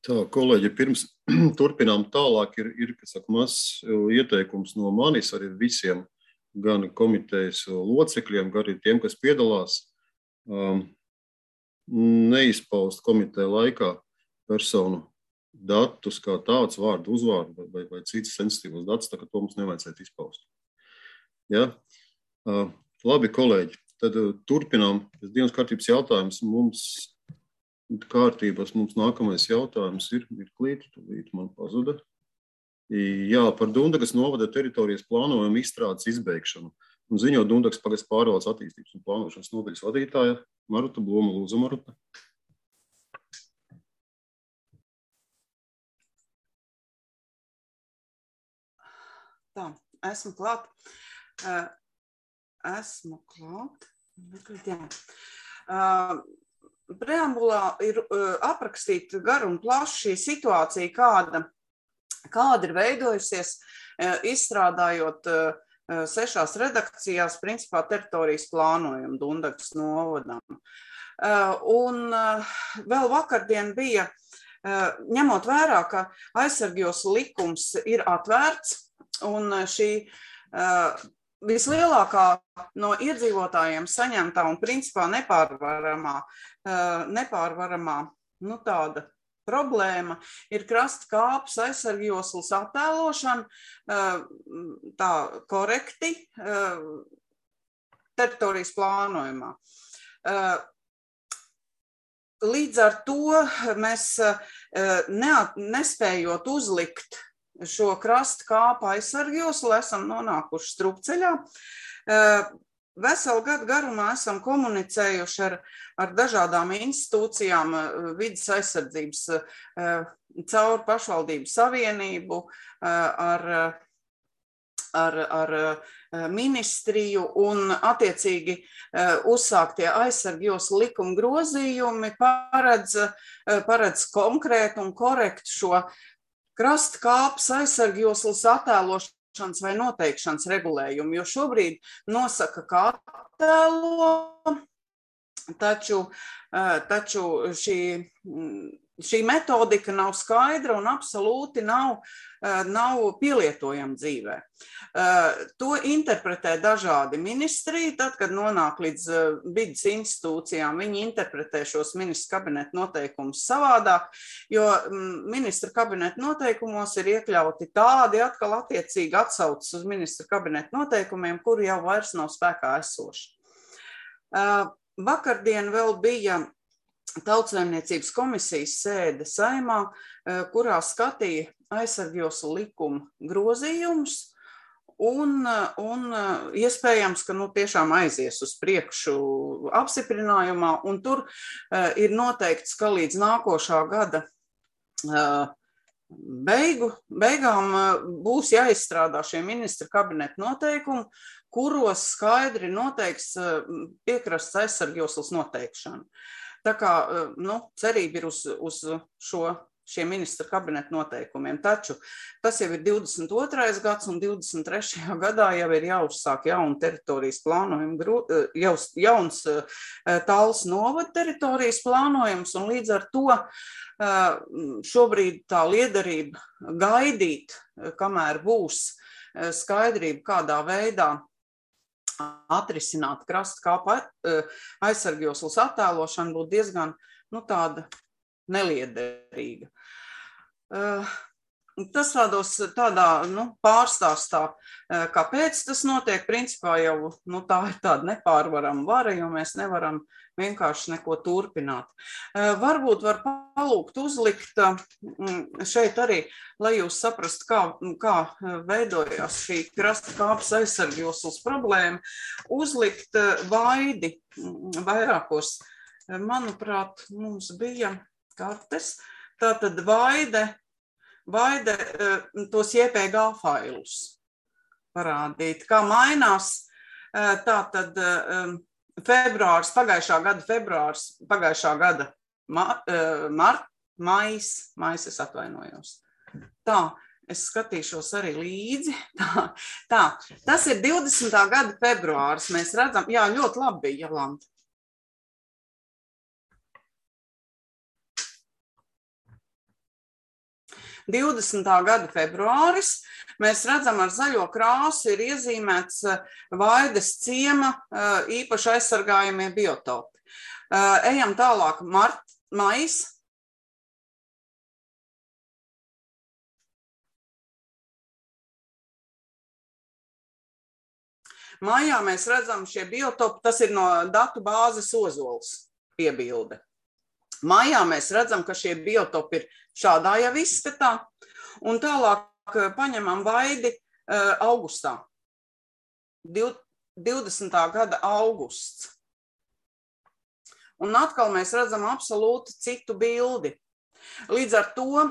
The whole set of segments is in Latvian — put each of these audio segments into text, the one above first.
Tā, kolēģi, pirms turpinām tālāk, ir kas saka, mazs ieteikums no manis arī visiem, gan komitejas locekļiem, gan arī tiem, kas piedalās, neizpaust komiteja laikā personu datus kā tāds, vārdu, uzvārdu vai citas sensitīvas datus, tā ka to mums nevajadzētu izpaust. Ja? Labi, kolēģi, tad turpinām. Dienas kārtības jautājums mums kārtības. Mums nākamais jautājums ir mirklīt, tūlīt man pazuda. Jā, par Dundagas novada teritorijas plānojumu izstrādes izbeigšanu. Un ziņo Dundagas pagasts pārvaldes attīstības un plānošanas nodaļas vadītāja Maruta Bloma. Lūdzu, Maruta. Tā, esmu klāt. Jā. Preambulā ir aprakstīta gar un plaši situācija, kāda ir veidojusies, izstrādājot 6 redakcijās, principā teritorijas plānojumu Dundagas novadam. Un vēl vakardien bija, ņemot vērā, ka aizsargjos likums ir atvērts, un šī vislielākā no iedzīvotājiem saņemtā un principā nepārvaramā tāda problēma ir krasta kāpes aizsargjoslas attēlošana tā korekti teritorijas plānojumā. Līdz ar to mēs nespējot uzlikt šo krasta kāpu aizsargjoslu, esam nonākuši strupceļā. Veselu gadu garumā esam komunicējuši ar dažādām institūcijām, vides aizsardzības caur pašvaldību savienību, ar ministriju un attiecīgi uzsāktie aizsargjoslu likuma grozījumi paredz konkrētu un korektu šo krasta kāpes aizsargjoslas attēlošanas vai noteikšanas regulējumu, jo šobrīd nosaka, kā attēlo, taču šī metodika nav skaidra un absolūti nav pielietojama dzīvē. To interpretē dažādi ministri, tad, kad nonāk līdz vides institūcijām, viņi interpretē šos ministra kabineta noteikumus savādāk, jo ministra kabineta noteikumos ir iekļauti tādi atkal attiecīgi atsaucas uz ministra kabineta noteikumiem, kuri jau vairs nav spēkā esoši. Vakardien vēl bija Tautsaimniecības komisijas sēde Saeimā, kurā skatīja aizsargjoslu likuma grozījumus, un iespējams, ka tiešām aizies uz priekšu apstiprinājumā, un tur ir noteikts, ka līdz nākošā gada beigām būs jāizstrādā šie ministra kabineta noteikumi, kuros skaidri noteikts piekrastes aizsargjoslas noteikšanu. Tā kā cerība ir uz šiem ministra kabineta noteikumiem, taču tas jau ir 22. gads un 23. gadā jau ir jāuzsāk jauna teritorijas plānojuma, jauns Tallas novada teritorijas plānojums, un līdz ar to šobrīd tā liederība gaidīt, kamēr būs skaidrība, kādā veidā atrisināt krasta kāpu aizsargjoslas attēlošanu, būtu diezgan tāda neliederīga. Tas tādā pārstāstā, kāpēc tas notiek, principā jau tā ir tāda nepārvarama vara, jo mēs nevaram vienkārši neko turpināt. Varbūt var palūgt uzlikt šeit arī, lai jūs saprastu, kā veidojās šī krasta kāpes aizsargjoslas problēma, uzlikt vaidi vairākos, manuprāt, mums bija kartes, tātad vaide tos JPG failus parādīt, kā mainās, tātad pagājušā gada maijs, es atvainojos. Tā, es skatīšos arī līdzi. Tā, tas ir 20. gada februāris, mēs redzam, jā, ļoti labi bija, Jolanta. 20. gada februāris. Mēs redzam, ar zaļo krāsu ir iezīmēts Vaides ciema īpaši aizsargājamie biotopi. Ejam tālāk, maijs. Maijā mēs redzam šie biotopi, tas ir no datu bāzes Ozols piebilde. Maijā mēs redzam, ka šie biotopi ir šādā jau izskatā, un tālāk paņemam Vaidi augustā, 20. gada augusts. Un atkal mēs redzam absolūti citu bildi. Līdz ar to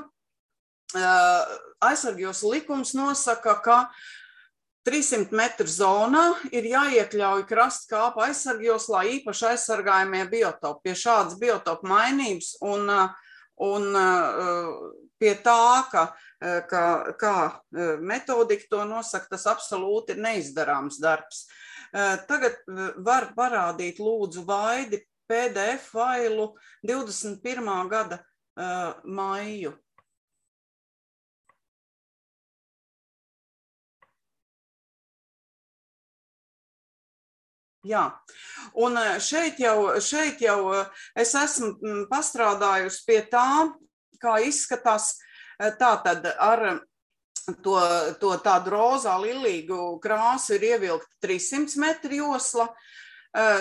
aizsargjoslu likums nosaka, ka 300 metru zonā ir jāiekļauj krastkāpu aizsargjoslā īpaši aizsargājamie biotopi. Pie šādas biotopu mainības un pie tā, kā metodika to nosaka, tas absolūti ir neizdarāms darbs. Tagad var parādīt lūdzu Vaidi PDF failu 21. gada maiju. Jā, un šeit jau es esmu pastrādājusi pie tā, kā izskatās tātad ar to tādu rozā lilīgu krāsu ir ievilkta 300 metru josla,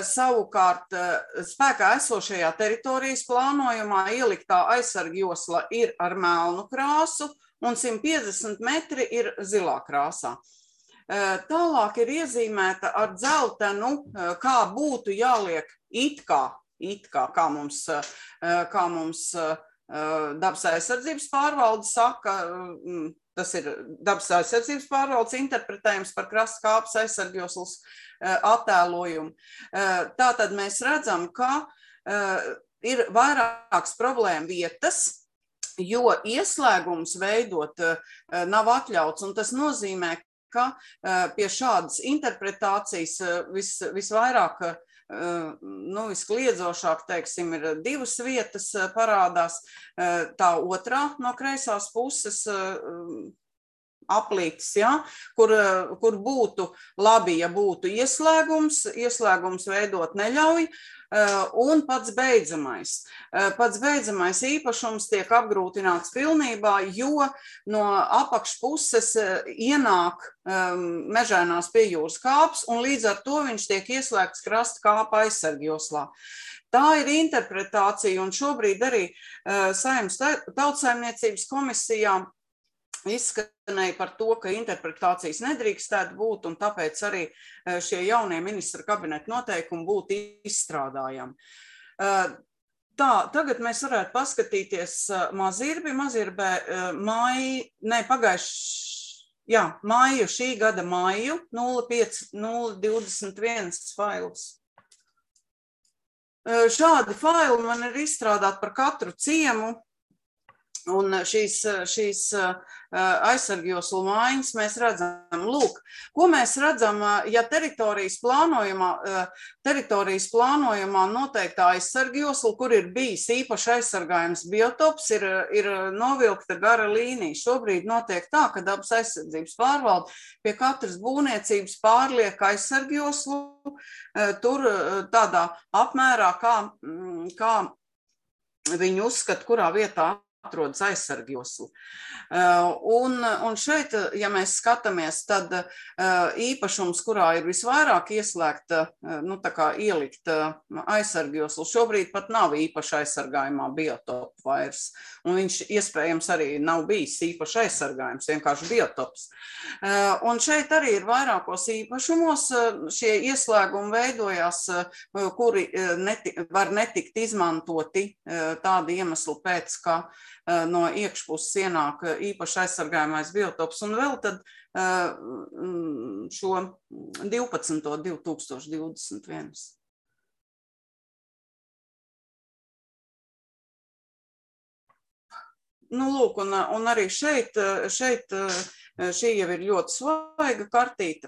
savukārt spēkā esošajā teritorijas plānojumā ieliktā aizsargjosla ir ar melnu krāsu un 150 metri ir zilā krāsā. Tālāk ir iezīmēta ar dzeltenu, kā būtu jāliek kā mums dabas aizsardzības pārvalde saka, tas ir dabas aizsardzības pārvaldes interpretējums par krastkāpes aizsargjoslas attēlojumu. Tātad mēs redzam, ka ir vairākas problēma vietas, jo ieslēgums veidot nav atļauts, un tas nozīmē, ka pie šādas interpretācijas visvairāk, viskliedzošāk, teiksim, ir divas vietas parādās. Tā otrā no kreisās puses aplītis, ja, kur būtu labi, ja būtu ieslēgums veidot neļauj, un pats beidzamais. Pats beidzamais īpašums tiek apgrūtināts pilnībā, jo no apakšpuses ienāk mežainās pie jūras kāps, un līdz ar to viņš tiek ieslēgts krasta kāpa aizsargjoslā. Tā ir interpretācija, un šobrīd arī Saeimas Tautsaimniecības komisijā izskanēja par to, ka interpretācijas nedrīkstētu būt, un tāpēc arī šie jaunie ministra kabineta noteikumi būtu izstrādājami. Tagad mēs varētu paskatīties Mazirbi. Mazirbē māju, šī gada māju, 05021 fails. Šādi faili man ir izstrādāti par katru ciemu, un šīs aizsargjoslu mājiņas mēs redzam. Lūk, ko mēs redzam, ja teritorijas plānojumā noteiktā aizsargjosla, kur ir bijis īpaši aizsargājums biotops, ir novilkta gara līnija. Šobrīd notiek tā, ka dabas aizsardzības pārvalde pie katras būvniecības pārliek aizsargjoslu, tur tādā apmērā, kā viņi uzskata, kurā vietā atrodas aizsargjosla. Un šeit, ja mēs skatāmies, tad īpašums, kurā ir visvairāk ieslēgta, ielikt aizsargjoslu, šobrīd pat nav īpaši aizsargājumā biotopu vairs. Un viņš iespējams arī nav bijis īpaši aizsargājums, vienkārši biotops. Un šeit arī ir vairākos īpašumos šie ieslēgumi veidojās, kuri var netikt izmantoti tādi iemesli pēc, ka no iekšpuses ienāk īpaši aizsargājamais biotops, un vēl tad šo 12.2021. Lūk, un arī šeit šī jau ir ļoti svaiga kartīte.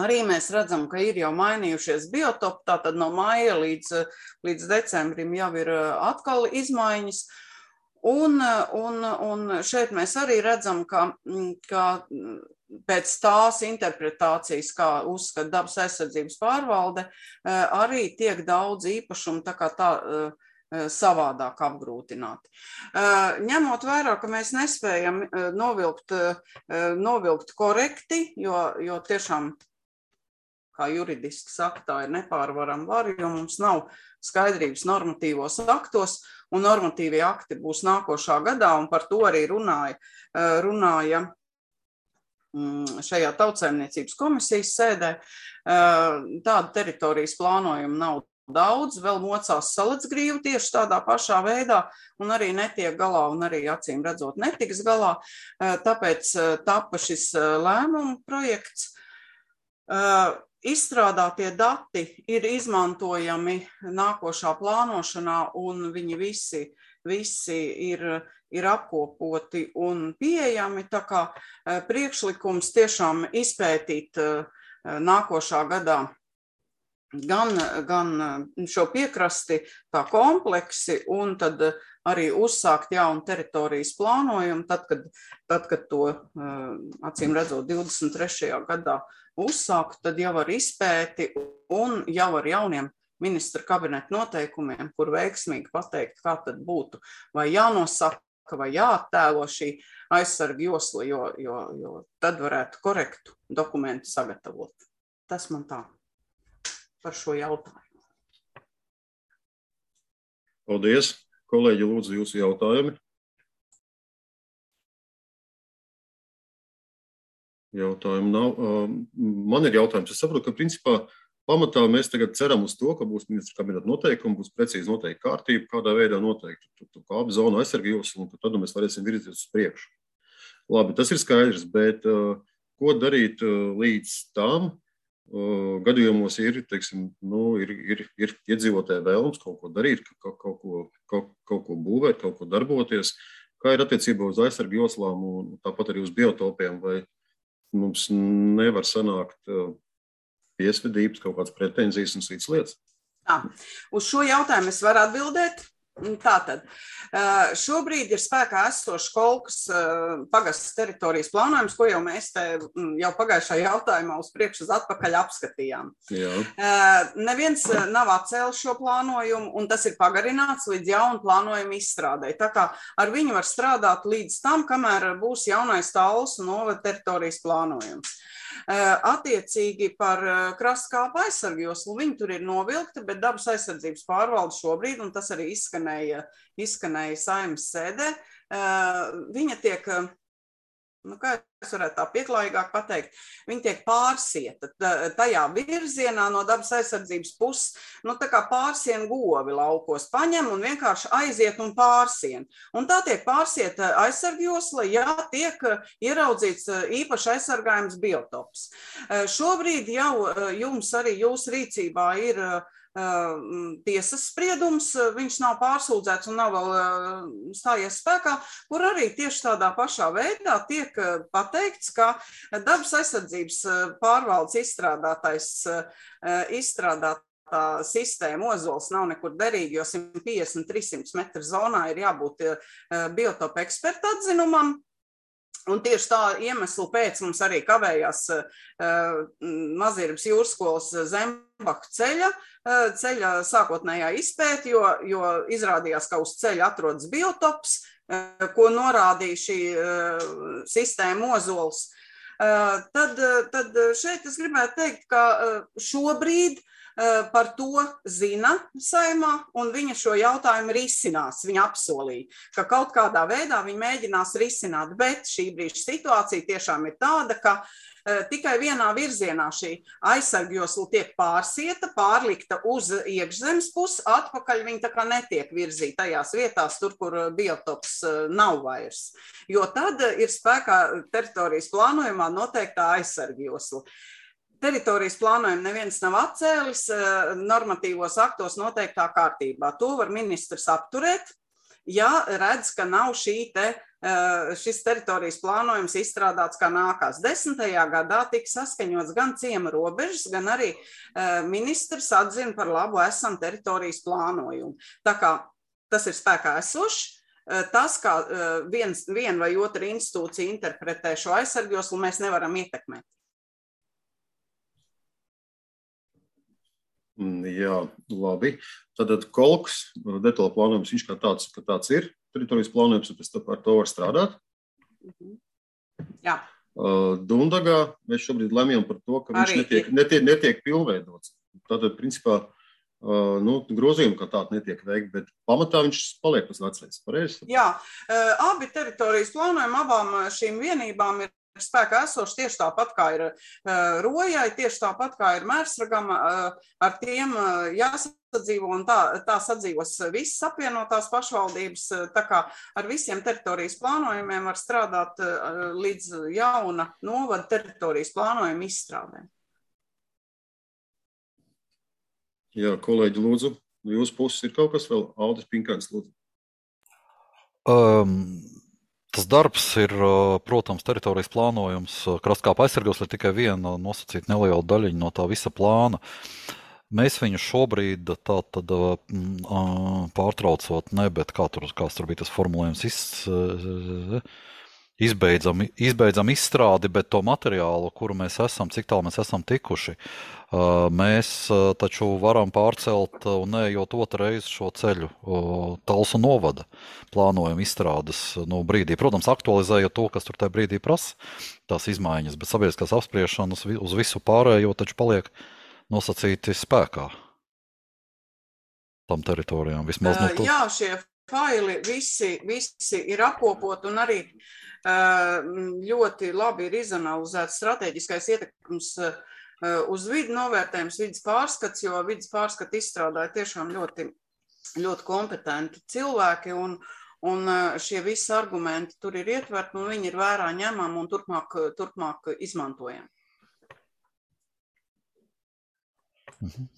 Arī mēs redzam, ka ir jau mainījušies biotopi, tātad no maija līdz decembrim jau ir atkal izmaiņas. Un šeit mēs arī redzam, ka pēc tās interpretācijas, kā uzskata dabas aizsardzības pārvalde, arī tiek daudz īpašumu tā kā tā savādāk apgrūtināti. Ņemot vērā, ka mēs nespējam novilkt korekti, jo tiešām, kā juridiski saka, tā ir nepārvarama vara, jo mums nav skaidrības normatīvos aktos, un normatīvie akti būs nākošā gadā, un par to arī runāja šajā tautsaimniecības komisijas sēdē. Tāda teritorijas plānojuma nav daudz, vēl mocās Salacgrīva tieši tādā pašā veidā, un arī netiek galā, un arī acīm redzot netiks galā. Tāpēc tapa šis lēmumu projekts. Izstrādātie dati ir izmantojami nākošā plānošanā, un viņi visi ir apkopoti un pieejami, tā kā priekšlikums tiešām izpētīt nākošā gadā gan šo piekrasti tā kompleksi, un tad arī uzsākt jaunu teritorijas plānojumu, tad, kad to, acīm redzot, 23. gadā uzsākt, tad jau ar izpēti un jau ar jauniem ministra kabineta noteikumiem, kur veiksmīgi pateikt, kā tad būtu, vai jānosaka, vai jāattēlo šī aizsarga josla, jo tad varētu korektu dokumentu sagatavot. Tas man tā par šo jautājumu. Paldies. Kolēģi, lūdzu jūsu jautājumi. Jautājumu nav. Man ir jautājums. Es saprotu, ka principā pamatā mēs tagad ceram uz to, ka būs ministra kabineta noteikumi, būs precīzi noteikta kārtība, kādā veidā noteikti kāpu zonu aizsarga josla, un tad mēs varēsim virzīties uz priekšu. Labi, tas ir skaidrs, bet ko darīt līdz tam gadījumos ir, teiksim, ir iedzīvotāji vēlams kaut ko darīt, kaut ko būvēt, kaut ko darboties, kā ir attiecībā uz aizsarga joslām un tāpat arī uz biotopiem, vai mums nevar sanākt piesvedības, kaut kādas pretenzijas un citas lietas? Uz šo jautājumu es varu atbildēt. Tātad, šobrīd ir spēkā esošs Kolkas pagastes teritorijas plānojums, ko jau mēs te jau pagājušā jautājumā uz priekšu uz atpakaļ apskatījām. Jā. Neviens nav atcēlis šo plānojumu, un tas ir pagarināts līdz jaunu plānojumu izstrādē. Tā kā ar viņu var strādāt līdz tam, kamēr būs jaunais Talsu novada teritorijas plānojums. Attiecīgi par krastkāpu aizsargu joslu, viņi tur ir novilkti, bet dabas aizsardzības pārvalde šobrīd, un tas arī izskanēja Saeimas sēdē, viņa tiek, kā es varētu tā pieklājīgāk pateikt, viņa tiek pārsieta tajā virzienā no dabas aizsardzības puses, tā kā pārsien govi laukos paņem un vienkārši aiziet un pārsien. Un tā tiek pārsieta aizsarga josla, ja tiek ieraudzīts īpaši aizsargājums biotops. Šobrīd jau jums arī jūsu rīcībā ir tiesas spriedums, viņš nav pārsūdzēts un nav vēl stājies spēkā, kur arī tieši tādā pašā veidā tiek pateikts, ka dabas aizsardzības pārvaldes izstrādātā sistēma ozols nav nekur derīga, jo 150-300 metru zonā ir jābūt biotopa eksperta atzinumam. Un tieši tā iemeslu pēc mums arī kavējās Mazirības jūrskolas Zembahu ceļa sākotnējā izpēte, jo izrādījās, ka uz ceļa atrodas biotops, ko norādīja šī sistēma ozols. Tad šeit es gribētu teikt, ka šobrīd par to zina Saeimā, un viņa šo jautājumu risinās. Viņa apsolīja, ka kaut kādā veidā viņa mēģinās risināt, bet šī brīža situācija tiešām ir tāda, ka tikai vienā virzienā šī aizsarga josla tiek pārsieta, pārlikta uz iekšzemes pusi, atpakaļ viņa tā kā netiek virzīta tajās vietās, tur, kur biotops nav vairs. Jo tad ir spēkā teritorijas plānojumā noteiktā aizsarga josla. Teritorijas plānojumu neviens nav atcēlis, normatīvos aktos noteiktā kārtībā. To var ministrs apturēt, ja redz, ka nav šis teritorijas plānojums izstrādāts kā nākās. 10. gadā tika saskaņots gan ciema robežas, gan arī ministrs atzina par labu esam teritorijas plānojumu. Tā kā tas ir spēkā esošs, tas, kā viena vai otra institūcija interpretē šo aizsargjoslu, mēs nevaram ietekmēt. Jā, labi. Tātad kolks, detaļu plānojums, viņš kā tāds ir, teritorijas plānojums, un pēc tam ar to var strādāt. Jā. Dundagā mēs šobrīd lemjam par to, ka viņš netiek pilnveidots. Tātad, principā, grozījumi kā tādi netiek veikti, bet pamatā viņš paliek pēc vecais. Pareizi? Jā, abi teritorijas plānojumi abām šīm vienībām ir spēkā esoši tieši tāpat kā ir Rojai, tieši tāpat kā ir Mērsragam, ar tiem jāsadzīvo un tā sadzīvos visas apvienotās pašvaldības, tā kā ar visiem teritorijas plānojumiem var strādāt līdz jauna novada teritorijas plānojuma izstrādēm. Jā, kolēģi, lūdzu, jūsu puses ir kaut kas vēl? Aldis Pinkāns, lūdzu. Tas darbs ir, protams, teritorijas plānojums. Krastkāpa aizsargjosla ir tikai viena nosacīta neliela daļiņa no tā visa plāna. Mēs viņu šobrīd tātad pārtraucot, bet kāds tur bija tas formulējums, izbeidzam izstrādi, bet to materiālu, kuru mēs esam, cik tālu mēs esam tikuši, mēs taču varam pārcelt un neejot otru reizi šo ceļu Talsu novada plānojumu izstrādes brīdī. Protams, aktualizējot to, kas tur tajā brīdī prasa tās izmaiņas, bet sabiedriskās apspriešanas uz visu pārējo taču paliek nosacīti spēkā tam teritorijām. Vismaz no to. Jā, šie faili visi ir apkopot un arī ļoti labi ir izanalizēts strateģiskais ietekmes uz vidi novērtējums, vidas pārskats, jo vidas pārskatu izstrādāja tiešām ļoti, ļoti kompetenti cilvēki un šie visi argumenti tur ir ietverti un viņi ir vērā ņemami un turpmāk izmantojami.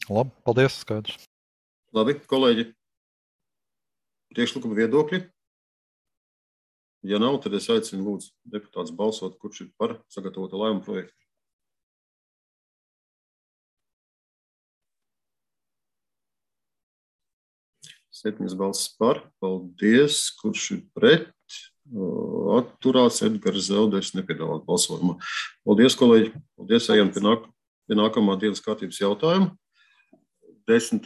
Labi, paldies, skaidrs. Labi, kolēģi, priekšlikuma viedokļi. Ja nav, tad es aicinu lūdzu deputātus balsot, kurš ir par sagatavotu lēmumu projektu. Septiņas balsis par. Paldies. Kurš ir pret? Atturās Edgars Zelders nepiedalās balsojumā. Paldies, kolēģi. Paldies, ejam pie nākamā dienas kārtības jautājuma. 10.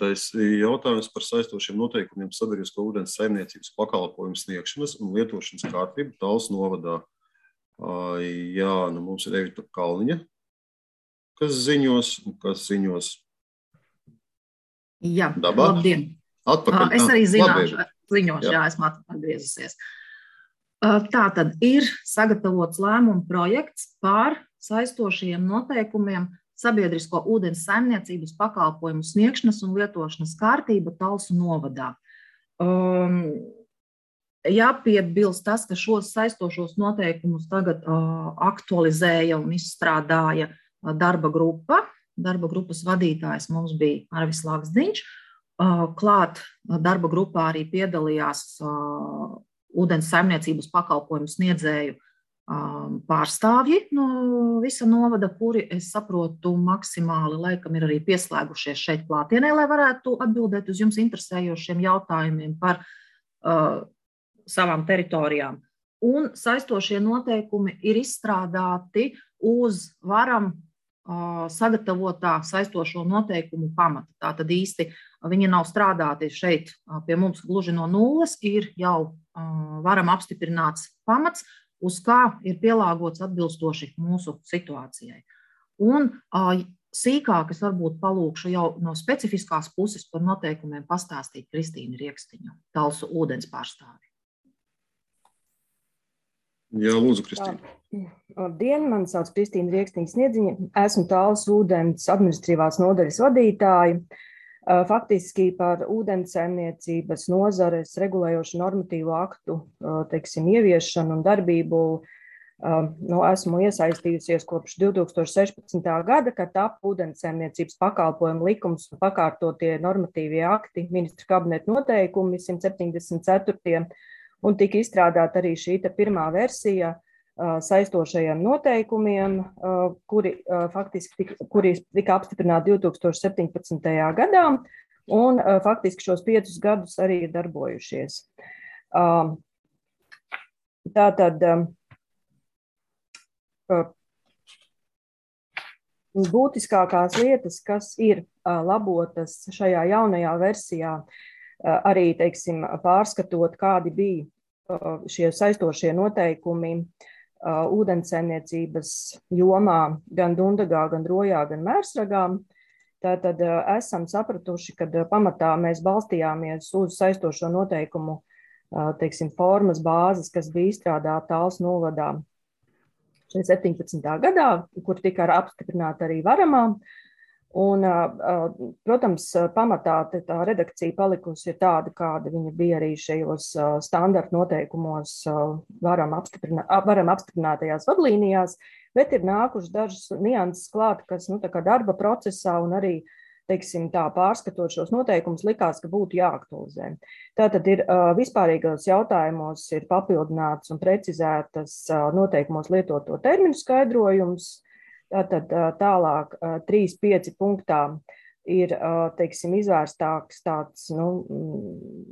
jautājums par saistošiem noteikumiem sabiedrisko ūdens saimniecības pakalpojumu sniegšanas un lietošanas kārtību Talsu novadā. Jā, mums ir Evita Kalniņa, kas ziņos. Jā, Dabā. Labdien. Atpakaļ. Es arī ziņošu, jā, esmu atgriezusies. Tātad ir sagatavots lēmuma projekts par saistošiem noteikumiem sabiedrisko ūdens saimniecības pakalpojumu sniegšanas un lietošanas kārtība Talsu novadā. Jāpiebilst tas, ka šos saistošos noteikumus tagad aktualizēja un izstrādāja darba grupa. Darba grupas vadītājs mums bija Arvis Laksdiņš. Klāt darba grupā arī piedalījās ūdens saimniecības pakalpojumu sniedzēju pārstāvji no visa novada, kuri, es saprotu, maksimāli laikam ir arī pieslēgušies šeit klātienē, lai varētu atbildēt uz jums interesējošiem jautājumiem par savām teritorijām. Un saistošie noteikumi ir izstrādāti uz varam sagatavotā saistošo noteikumu pamata. Tātad īsti viņi nav strādāti šeit pie mums gluži no nulles, ir jau varam apstiprināts pamats, uz kā ir pielāgots atbilstoši mūsu situācijai. Un sīkāk es varbūt palūkšu jau no specifiskās puses par noteikumiem pastāstīt Kristīnu Riekstiņu, Talsu ūdens pārstāvi. Jā, lūdzu, Kristīna. Labdien, mani sauc Kristīna Riekstiņa Sniedziņa. Esmu Talsu ūdens administratīvās nodaļas vadītāja. Faktiski par ūdenssaimniecības nozares regulējošu normatīvu aktu, ieviešanu un darbību esmu iesaistījusies kopš 2016. gada, kad tapa ūdenssaimniecības pakalpojumu likums un pakārtotie normatīvie akti, ministra kabineta noteikumi 174. Un tika izstrādāta arī šī pirmā versija saistošajiem noteikumiem, kuri tika apstiprināti 2017. gadā, un faktiski šos 5 gadus arī ir darbojušies. Tātad būtiskākās lietas, kas ir labotas šajā jaunajā versijā, arī, teiksim, pārskatot, kādi bija šie saistošie noteikumi ūdenssaimniecības jomā gan Dundagā, gan Rojā, gan Mērsragā. Tātad esam sapratuši, ka pamatā mēs balstījāmies uz saistošo noteikumu, teiksim, formas bāzes, kas bija izstrādāta Talsu novadā 17. gadā, kur tika apstiprināta arī Varamā. Un, protams, pamatā tā redakcija palikusi ir tāda, kāda viņa bija arī šajos standarta noteikumos varam apstiprinātajās vadlīnijās, bet ir nākuši dažas nianses klāt, kas tā kā darba procesā un arī, teiksim, tā pārskatot šos noteikumus likās, ka būtu jāaktualizē. Tātad ir vispārīgos jautājumos ir papildināts un precizētas noteikumos lietoto terminu skaidrojums. Tātad tālāk 3.5 punktā ir, teiksim, izvērstāks tāds,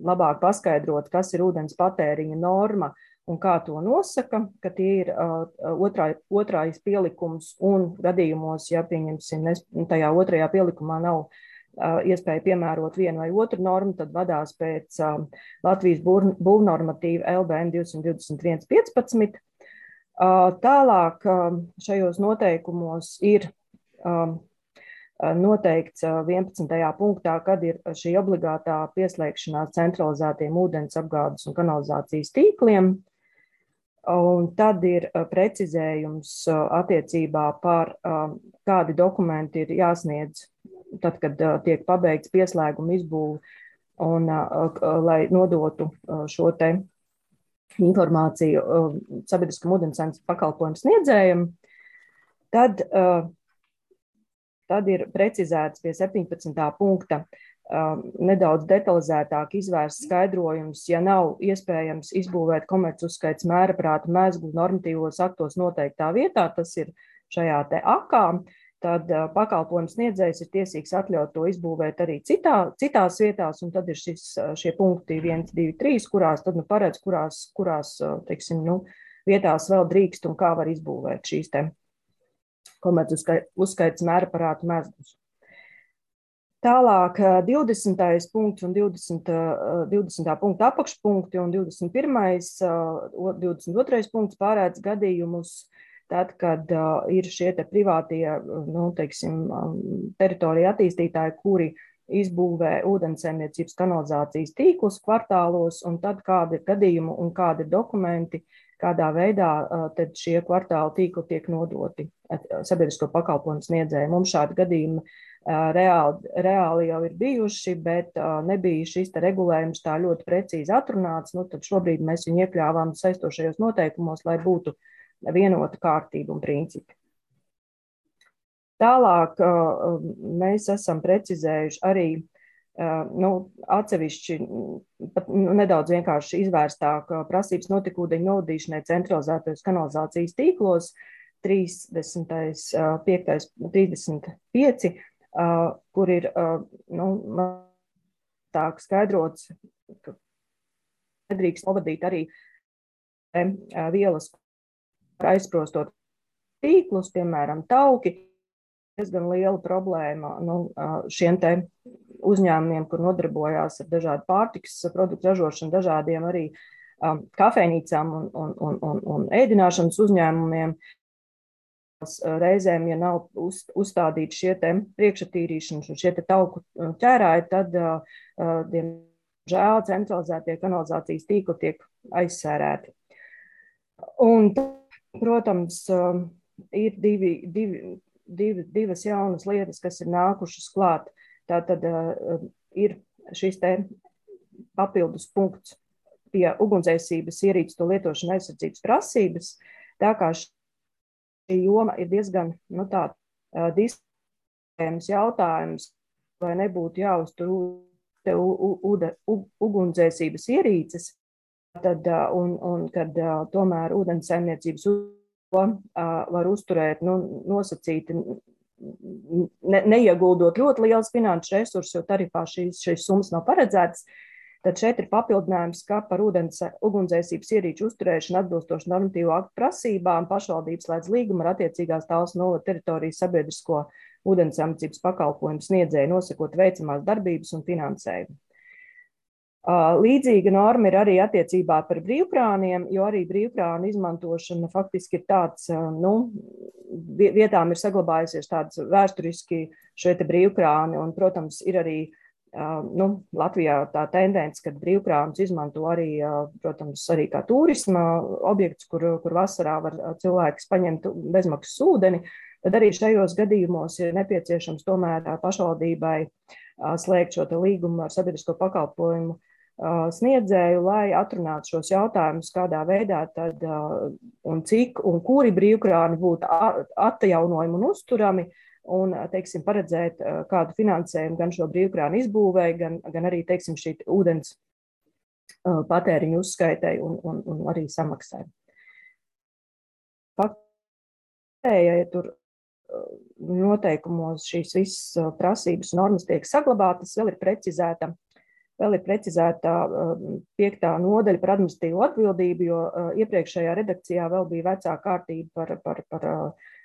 labāk paskaidrot, kas ir ūdens patēriņa norma un kā to nosaka, ka tie ir otrais pielikums un gadījumos, ja pieņemsim, tajā otrajā pielikumā nav iespēja piemērot vienu vai otru normu, tad vadās pēc Latvijas būvnormatīva LBN 221.15. Tālāk šajos noteikumos ir noteikts 11. punktā, kad ir šī obligātā pieslēgšanās centralizētiem ūdens apgādes un kanalizācijas tīkliem. Un tad ir precizējums attiecībā par kādi dokumenti ir jāsniedz, tad, kad tiek pabeigts pieslēguma izbūve, un lai nodotu šo te informāciju sabiedriskam ūdenssaimniecības pakalpojumu sniedzējam, tad ir precizēts pie 17. punkta nedaudz detalizētāk izvērsts skaidrojums, ja nav iespējams izbūvēt komercuzskaits mēraprātu mezglu normatīvos aktos noteiktā vietā, tas ir šajā te akā, tad pakalpojums sniedzējs ir tiesīgs atļaut to izbūvēt arī citās vietās, un tad ir šie punkti 1, 2, 3, kurās tad paredz, kurās teiksim, vietās vēl drīkst un kā var izbūvēt šīs te komercuzskaits mēraprātu mezglus. Tālāk 20. punkts un 20. punkta apakšpunkti un 21. 22. punkts pārēdz gadījumus, tad, kad ir šie te privātie, teiksim, teritorija attīstītāji, kuri izbūvē ūdenssaimniecības kanalizācijas tīklus kvartālos, un tad kādi ir gadījumi un kādi ir dokumenti, kādā veidā tad šie kvartāla tīkli tiek nodoti sabiedrisko pakalpojumu sniedzēju. Mums šādi gadījumi reāli jau ir bijuši, bet nebija šis te regulējums tā ļoti precīzi atrunāts, tad šobrīd mēs viņu iekļāvām saistošajos noteikumos, lai būtu vienota kārtība un principi. Tālāk mēs esam precizējuši arī atsevišķi, nedaudz vienkārši izvērstāk prasības notekūdeņu novadīšanai centralizētajos kanalizācijas tīklos, 35, kur ir tā skaidrots, ka nedrīkst novadīt arī vielas aizprostot tīklus, piemēram, tauki. Diezgan liela problēma šiem te uzņēmumiem, kur nodarbojās ar dažādu pārtikas produktu ražošanu, dažādiem arī kafejnīcām un ēdināšanas uzņēmumiem. Reizēm, ja nav uzstādīti šie te priekšatīrīšanas un šie te tauku ķērāji, tad, diemžēl, centralizētie kanalizācijas tīkli tiek aizsērēti. Un, protams, ir divas jaunas lietas, kas ir nākušas klāt. Tātad ir šis te papildus punkts pie ugunsdzēsības ierīces to lietošanu aizsardzības prasības, tā kā šī joma ir diezgan diskutējams jautājums, vai nebūtu jāuztur ugunsdzēsības ierīces, un kad tomēr ūdenssaimniecības var uzturēt nosacīti, neieguldot ļoti liels finanšu resursus, jo tarifā šīs summas nav paredzētas. Tad šeit ir papildinājums, ka par ugunsdzēsības ierīču uzturēšanu atbilstoši normatīvu aktu prasībām pašvaldības slēdz līgumu ar attiecīgās Talsu novada teritorijas sabiedrisko ūdenssamniecības pakalpojumu sniedzēju, nosakot veicamās darbības un finansējumu. Līdzīga norma ir arī attiecībā par brīvkrāniem, jo arī brīvkrānu izmantošana faktiski ir tāds, vietām ir saglabājusies tāds vēsturiski šie te brīvkrāni, un, protams, ir arī Latvijā tā tendence, kad brīvkrānus izmanto arī, protams, arī kā turisma objekts, kur vasarā var cilvēks paņemt bezmaksas ūdeni, tad arī šajos gadījumos ir nepieciešams tomēr pašvaldībai slēgt šo te līgumu ar sabiedrisko pakalpojumu sniedzēju, lai atrunātu šos jautājumus, kādā veidā tad un cik un kuri brīvkrāni būtu atjaunojumi un uzturami, un, teiksim, paredzēt kādu finansējumu gan šo brīvkrānu izbūvēi, gan arī, teiksim, šī ūdens patēriņu uzskaitai un arī samaksai. Ja tur noteikumos šīs visas prasības normas tiek saglabātas, vēl ir precizēta 5. nodaļa par administratīvo atbildību, jo iepriekšējā redakcijā vēl bija vecā kārtība par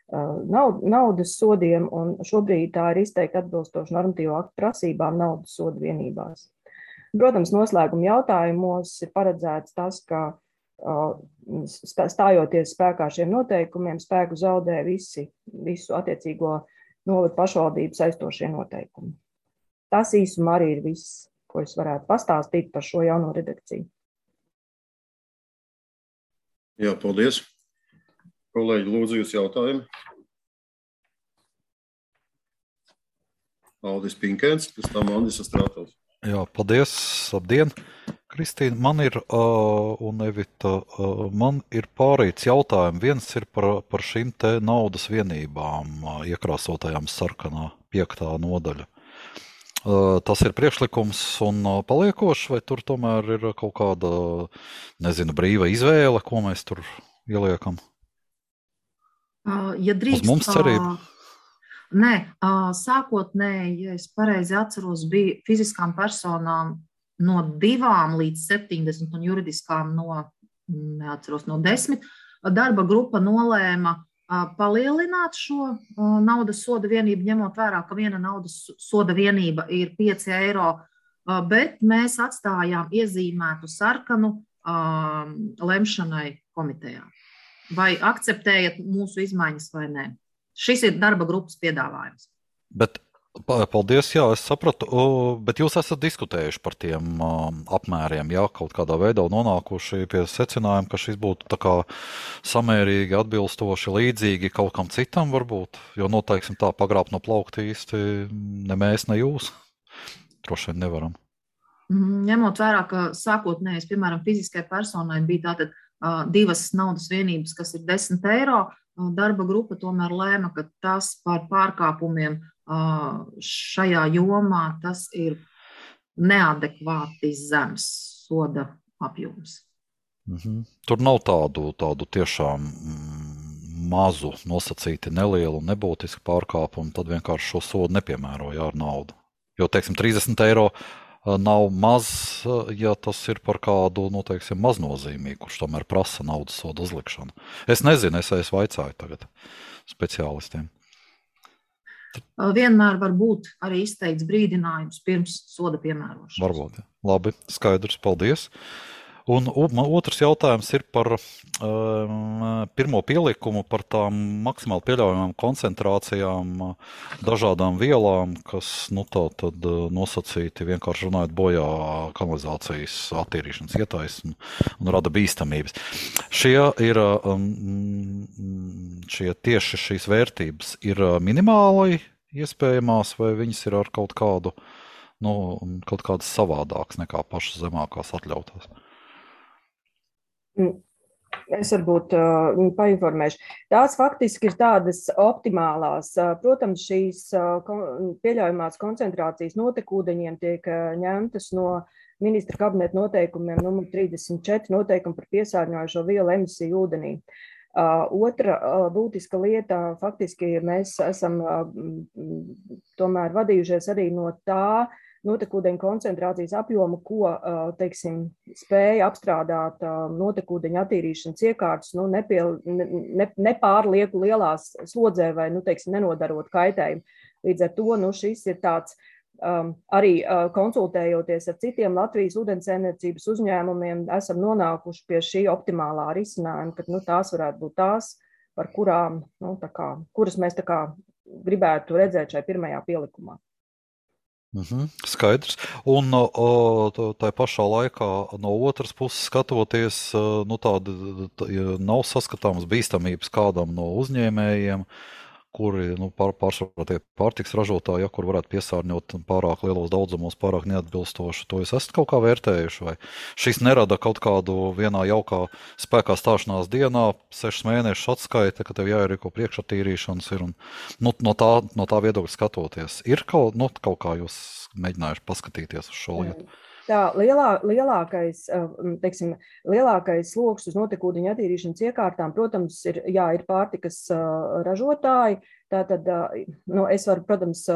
naudas sodiem, un šobrīd tā ir izteikti atbilstoši normatīvo aktu prasībām naudas sodu vienībās. Protams, noslēguma jautājumos ir paredzēts tas, ka stājoties spēkā šiem noteikumiem, spēku zaudē visu attiecīgo novadu pašvaldību saistošie noteikumi. Tas īsumā arī ir viss, ko es varētu pastāstīt par šo jauno redakciju. Jā, paldies. Kolēģi, lūdzu jūs jautājumi. Aldis Pinkēns, pēc tam Andis Astrātovs. Jā, paldies. Labdien. Kristīna, man ir un Evita, man ir pārīts jautājumi. Viens ir par šīm te naudas vienībām, iekrāsotajām sarkanā 5. nodaļa. Tas ir priekšlikums un paliekošs, vai tur tomēr ir kaut kāda, brīva izvēle, ko mēs tur ieliekam? Ja drīkst, uz mums cerība? Nē, sākotnēji, ja es pareizi atceros, bija fiziskām personām no 2 līdz 70 un juridiskām no 10. Darba grupa nolēma palielināt šo naudas soda vienību, ņemot vērā, ka viena naudas soda vienība ir 5 eiro, bet mēs atstājām iezīmētu sarkanu lemšanai komitejā. Vai akceptējat mūsu izmaiņas vai nē? Šis ir darba grupas piedāvājums. Bet, paldies, jā, es sapratu, bet jūs esat diskutējuši par tiem apmēriem, jā, kaut kādā veidā nonākuši pie secinājuma, ka šis būtu tā kā samērīgi, atbilstoši, līdzīgi kaut kam citam varbūt, jo noteiksim tā pagrābt no plaukta īsti ne mēs, ne jūs. Droši vien nevaram. Ņemot vērā, ka sākotnēji, piemēram, fiziskai personai bija tātad 2 naudas vienības, kas ir 10 eiro, darba grupa tomēr lēma, ka tas par pārkāpumiem šajā jomā tas ir neadekvāti zems soda apjoms. Tur nav tādu tiešām mazu nosacīti nelielu un nebūtisku pārkāpumu, tad vienkārši šo sodu nepiemēroja ar naudu. Jo, teiksim, 30 eiro nav maz, ja tas ir par kādu, maznozīmīgu, kurš tomēr prasa naudas sodu uzlikšanu. Es nezinu, es vaicāju tagad speciālistiem. Vienmēr var būt arī izteikts brīdinājums pirms soda piemērošanas. Varbūt, jā. Labi, skaidrs, paldies. Un otrs jautājums ir par pirmo pielikumu par tām maksimāli pieļaujamām koncentrācijām dažādām vielām, kas, tad nosacīti vienkārši runājot bojā kanalizācijas attīrīšanas ietaisnu un rada bīstamības. Tieši šīs vērtības ir minimāli iespējamās, vai viņas ir ar kaut kādas savādākas nekā pašas zemākās atļautās? Es varbūt painformēšu. Tās faktiski ir tādas optimālās. Protams, šīs pieļaujamās koncentrācijas notekūdeņiem tiek ņemtas no ministra kabineta noteikumiem numur 34 noteikumu par piesārņojošo vielu emisiju ūdenī. Otra būtiska lieta, faktiski mēs esam tomēr vadījušies arī no tā notekūdeņu koncentrācijas apjomu, ko, teiksim, spēja apstrādāt notekūdeņu attīrīšanas iekārtas, nepārlieku lielās slodzē vai, teiksim, nenodarot kaitējumu. Līdz ar to, šis ir tāds arī konsultējoties ar citiem Latvijas ūdenssaimniecības uzņēmumiem, esam nonākuši pie šī optimālā risinājuma, ka, tās varētu būt tās, par kurām, kuras mēs gribētu redzēt šai pirmajā pielikumā. Skaidrs. Un tā pašā laikā no otras puses skatoties, tāda nav saskatāmas bīstamības kādam no uzņēmējiem, kuri pārsvarā tie pārtiks ražotāji, kur varētu piesārņot pārāk lielos daudzumos, pārāk neatbilstoši. To jūs esat kaut kā vērtējuši? Vai šis nerada kaut kādu vienā jaukā spēkā stāšanās dienā, 6 mēnešus atskaita, ka tev jāierīko priekšattīrīšanas ir un no tā viedokļa skatoties? Ir kaut kā jūs mēģinājuši paskatīties uz šo lietu? Tā lielākais sloks uz notekūdeņu attīrīšanas iekārtām, protams, ir pārtikas ražotāji. Tātad, es varu, protams,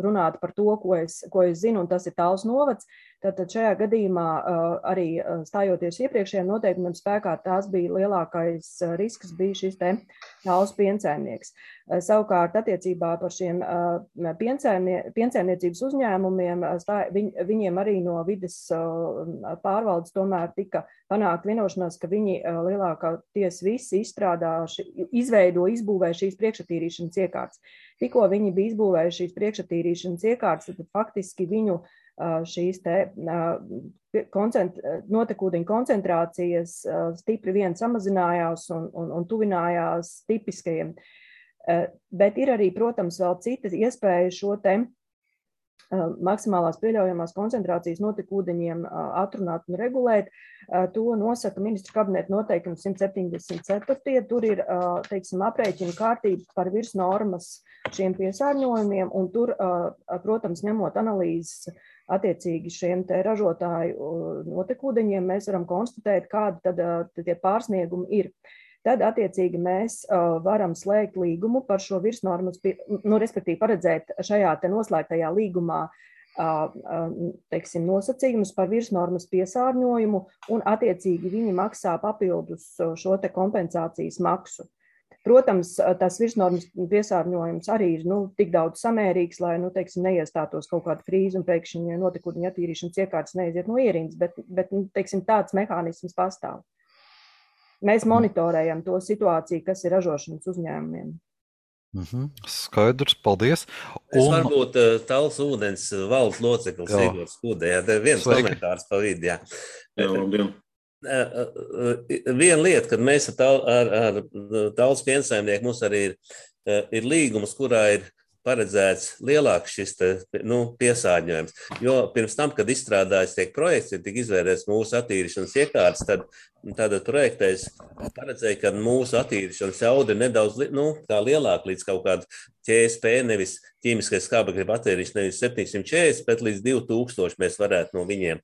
runāt par to, ko es zinu, un tas ir Talsu novads. Tātad šajā gadījumā arī stājoties iepriekšējiem noteikumiem spēkā, tās bija lielākais risks bija šis te Talsu piensaimnieks. Savukārt attiecībā par šiem piensaimniecības uzņēmumiem, viņiem arī no vides pārvaldes tomēr tika panākt vienošanās, ka viņi lielākoties visi izbūvēja šīs priekšattīrīšanas iekārtas. Tikko viņi bija izbūvējuši šīs priekšattīrīšanas iekārtas, tad faktiski viņu šīs notekūdeņu koncentrācijas stipri vien samazinājās un tuvinājās tipiskajiem. Bet ir arī, protams, vēl citas iespējas šo te maksimālās pieļaujamās koncentrācijas notekūdeņiem atrunāt un regulēt. To nosaka ministru kabineta noteikums 174. Tur ir, aprēķina kārtība par virsnormas šiem piesārņojumiem, un tur, protams, ņemot analīzes attiecīgi šiem te ražotāju notekūdeņiem, mēs varam konstatēt, kādi tad tie pārsniegumi ir. Tad, attiecīgi, mēs varam slēgt līgumu par šo virsnormas, respektīvi paredzēt šajā te noslēgtajā līgumā, nosacījumus par virsnormas piesārņojumu, un, attiecīgi, viņi maksā papildus šo te kompensācijas maksu. Protams, tas virsnormas piesārņojums arī ir tik daudz samērīgs, lai neiestātos kaut kāda krīze un pēkšņi notekūdeņu attīrīšanas iekārtas neiziet no ierindas, bet tāds mehānisms pastāv. Mēs monitorējam to situāciju, kas ir ražošanas uzņēmumiem. Skaidrs, paldies. Es varbūt Talsu ūdens valdes loceklis Igors Skudē. Viens komentārs pa vidu. Viena lieta, kad mēs ar Talsu piensaimnieku, mums arī ir līgums, kurā ir paredzēts lielāks šis piesārņojums. Jo pirms tam, kad izstrādājas tiek projekts, ir tik izvērēts mūsu attīrīšanas iekārtas, tad projektais paredzēja, ka mūsu attīrīšanas jauda ir nedaudz tā lielāka līdz kaut kādu ķSP, nevis ķīmiskais skābekļa attīrīšana, nevis 740, bet līdz 2000 mēs varētu no viņiem,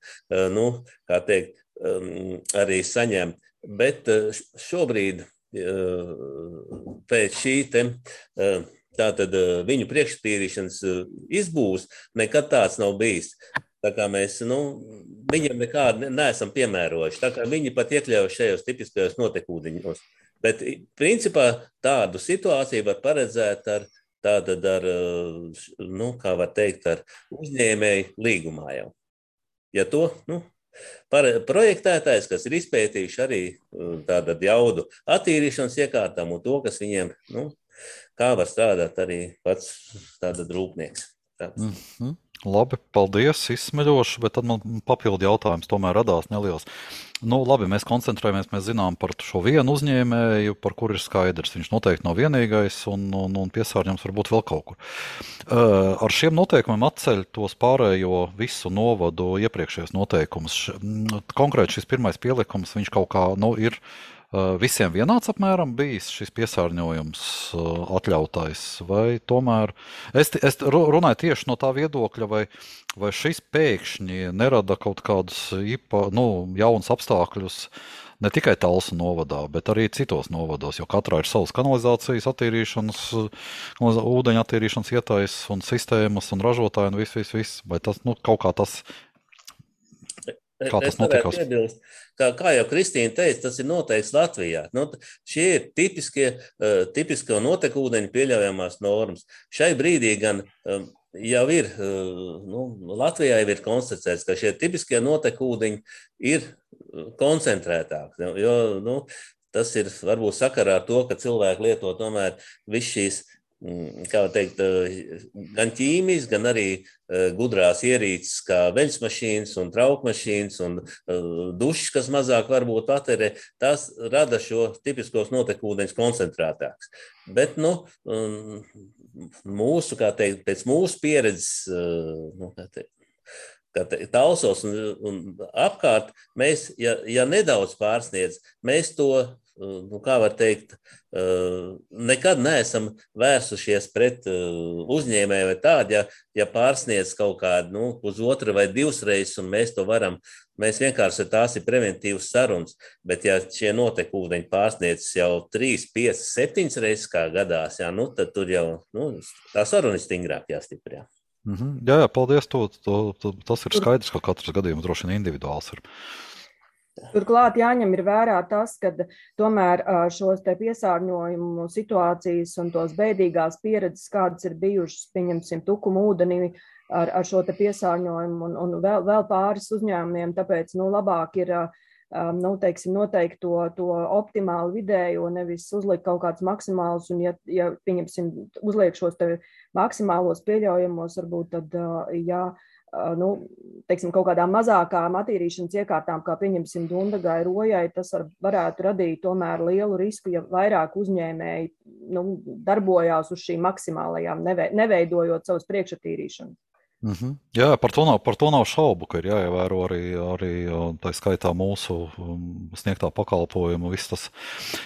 arī saņemt. Bet šobrīd pēc šī tātad viņu priekštīrīšanas izbūs nekad tāds nav bijis. Tā kā mēs, viņam nekādi neesam piemērojuši. Tā kā viņi pat iekļaujuši šajos tipiskajos notekūdeņos. Bet, principā, tādu situāciju var paredzēt ar uzņēmēju līgumā jau. Ja to, projektētājs, kas ir izpētījuši arī tātad jaudu attīrīšanas iekārtām un to, kas viņiem, kā var strādāt arī pats tāda rūpnieks. Labi, paldies, izsmeļoši, bet tad man papildu jautājums tomēr radās neliels. Labi, mēs koncentrējamies, mēs zinām par šo vienu uzņēmēju, par kur ir skaidrs. Viņš noteikti nav vienīgais un piesārņojums varbūt vēl kaut kur. Ar šiem noteikumiem atceļ tos pārējo visu novadu iepriekšējos noteikumus. Konkrēti šis pirmais pielikums, viņš kaut kā ir visiem vienāds apmēram bijis šis piesārņojums atļautais, vai tomēr es runāju tieši no tā viedokļa, vai šis pēkšņi nerada kaut kādus jaunus apstākļus ne tikai Talsu novadā, bet arī citos novados, jo katrā ir savas kanalizācijas attīrīšanas, ūdeņa attīrīšanas ietaisas un sistēmas un ražotāji un viss. Vai tas, kaut kā tas, kā tas notikās? Kā jau Kristīna teica, tas ir noteikts Latvijā. Šie ir tipiskie notekūdeņu pieļaujamās normas. Šai brīdī gan jau ir, Latvijā jau ir konstatēts, ka šie tipiskie notekūdeņi ir koncentrētāki, jo tas ir varbūt sakarā ar to, ka cilvēki lieto tomēr visu šīs, kā teikt, gan ķīmijas, gan arī gudrās ierīces, kā veļsmašīnas un traukmašīnas un dušas, kas mazāk varbūt patērē, tās rada šo tipiskos notekūdeņus koncentrētāks. Bet, mūsu, kā teikt, pēc mūsu pieredzes, Talsos un apkārt, mēs, ja nedaudz pārsniedz, mēs to, kā var teikt, nekad neesam vērsušies pret uzņēmēju vai tādu, ja pārsniedz kaut kādu, uz otru vai divas reizes, un mēs to varam, mēs vienkārši tās ir preventīvas sarunas, bet ja šie notekūdeņi pārsniedz jau 3, 5, 7 reizes kā gadās, tad tur jau, tā saruna ir stingrāk jāstiprina. Jā, paldies. Tas ir skaidrs, ka katrs gadījums droši vien individuāls ir. Turklāt jāņem ir vērā tas, ka tomēr šos te piesārņojumu situācijas un tos beidīgās pieredzes, kādas ir bijušas, pieņemsim, Tukuma ūdenī ar šo te piesārņojumu un vēl pāris uzņēmumiem, tāpēc, labāk ir teiksim, noteikti to optimālu vidēju, nevis uzlikt kaut kāds maksimāls, un ja pieņemsim, uzliek šos te maksimālos pieļaujamos, varbūt tad, teiksim, kaut kādām mazākām attīrīšanas iekārtām, kā pieņemsim Dundagai, Rojai, tas varētu radīt tomēr lielu risku, ja vairāk uzņēmēji darbojās uz šīm maksimālajām, neveidojot savas priekšattīrīšanas. Jā, par to nav šaubu, ka ir jāievēro arī tā skaitā mūsu sniegtā pakalpojumu, viss tas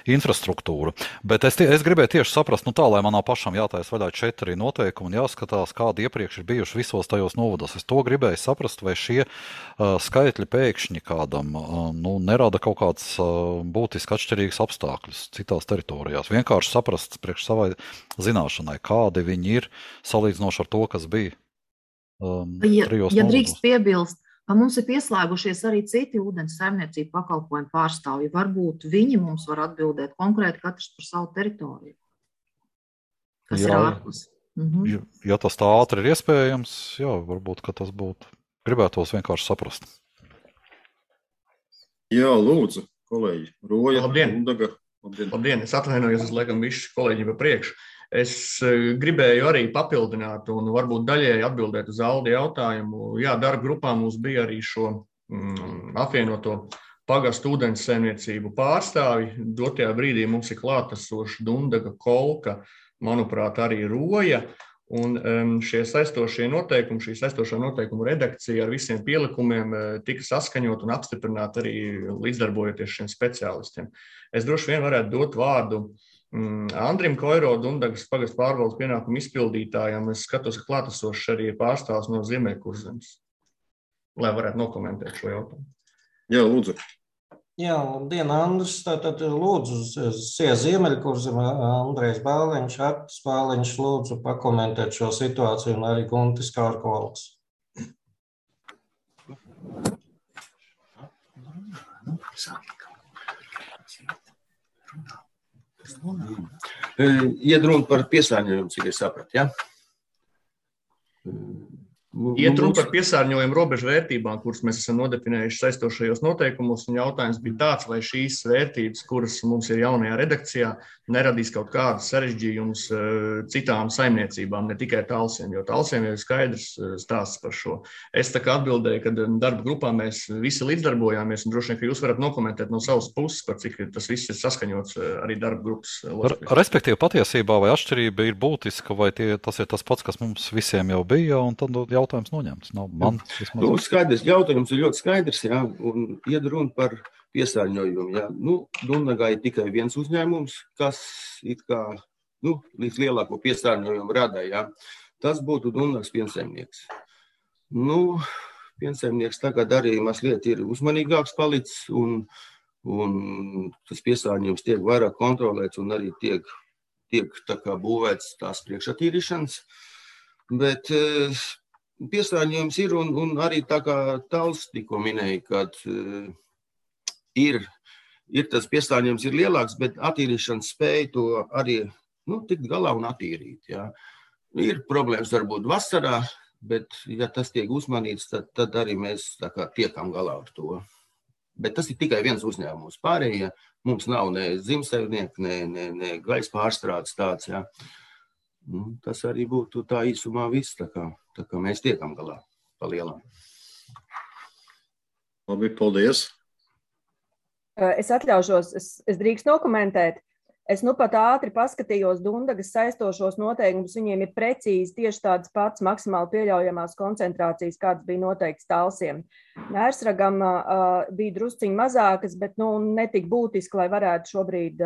infrastruktūra. Bet es gribēju tieši saprast, tā, lai man nav pašam jātais vaļā 4 noteikumi un jāskatās, kādi iepriekš ir bijuši visos tajos novados. Es to gribēju saprast, vai šie skaitļi pēkšņi kādam nerada kaut kāds būtiski atšķirīgs apstākļus citās teritorijās. Vienkārši saprast priekš savai zināšanai, kādi viņi ir salīdzinoši ar to, kas bija. Ja drīkst piebilst, ka mums ir pieslēgušies arī citi ūdens saimniecību pakalpojumu pārstāvji, varbūt viņi mums var atbildēt konkrēti katrs par savu teritoriju, kas ir ārpus. Ja tas tā ātri ir iespējams, varbūt, ka tas būtu. Gribētos vienkārši saprast. Jā, lūdzu, kolēģi. Roja, Dundaga. Labdien, es atvainojos, es laikam visu kolēģi pa priekšu. Es gribēju arī papildināt un varbūt daļēji atbildēt uz Aldi jautājumu. Jā, darba grupā mums bija arī šo apvienoto pagastu ūdens saimniecību pārstāvi. Dotajā brīdī mums ir klātesoši Dundaga, Kolka, manuprāt, arī Roja. Un šie saistošie noteikumi, šī saistošā noteikumu redakcija ar visiem pielikumiem tika saskaņot un apstiprināt arī līdzdarbojoties šiem speciālistiem. Es droši vien varētu dot vārdu Andrim Koiro, Dundagas pagastu pārvaldes pienākumu izpildītājam. Es skatos, ka klātesošs arī ir pārstāvs no Ziemeļkurzemes, lai varētu nokomentēt šo jautājumu. Jā, lūdzu. Jā, labdien, Andris. Tātad lūdzu, Ziemeļkurzeme, Andrejs Bāliņš, Artis Bāliņš, lūdzu pakomentēt šo situāciju un arī Guntis Kārkols. Iet runa par piesārņojumu, cik es sapratu, ja? Iet runa par piesārņojumu robežu vērtībām, kuras mēs esam nodefinējuši saistošajos noteikumos, un jautājums bija tāds, vai šīs vērtības, kuras mums ir jaunajā redakcijā, neradīs kaut kādus sarežģījumus citām saimniecībām, ne tikai Talsiem, jo Talsiem jau ir skaidrs stāsts par šo. Es tā kā atbildēju, ka darba grupā mēs visi līdzdarbojāmies, un droši vien, ka jūs varat nokomentēt no savas puses, par cik tas viss ir saskaņots arī darba grupas. Respektīvi, patiesībā vai atšķirība ir būtiska, vai tas ir tas pats, kas mums visiem jau bija, un tad jautājums noņemts. Skaidrs, jautājums ir ļoti skaidrs, jā, un iet runa par piesārņojumu. Jā. Dundagai ir tikai viens uzņēmums, kas it kā lielāko piesārņojumu rada. Jā. Tas būtu Dundagas piensaimnieks. Piensaimnieks tagad arī mazliet ir uzmanīgāks palicis, un un tas piesārņojums tiek vairāk kontrolēts un arī tiek tā kā būvēts tās priekšatīrīšanas. Bet piesārņojums ir un arī tā kā Tāls tikko minēja, kad ir tas piesārņojums ir lielāks, bet attīrīšanas spēja to arī tikt galā un attīrīt. Jā. Ir problēmas varbūt vasarā, bet ja tas tiek uzmanīts, tad arī mēs tā kā tiekam galā ar to. Bet tas ir tikai viens uzņēmums. Pārējie mums nav ne zimsaimnieki, ne gaisa pārstrādes tāds. Jā. Tas arī būtu tā īsumā viss, tā kā mēs tiekam galā pa lielām. Labi, paldies. Es atļaušos, es drīkst nokomentēt. Es pat ātri paskatījos Dundagas saistošos noteikumus, viņiem ir precīzi tieši tādas pats maksimāli pieļaujamās koncentrācijas, kādas bija noteikts Talsiem. Mērsragam bija drusciņi mazākas, bet netik būtiski, lai varētu šobrīd,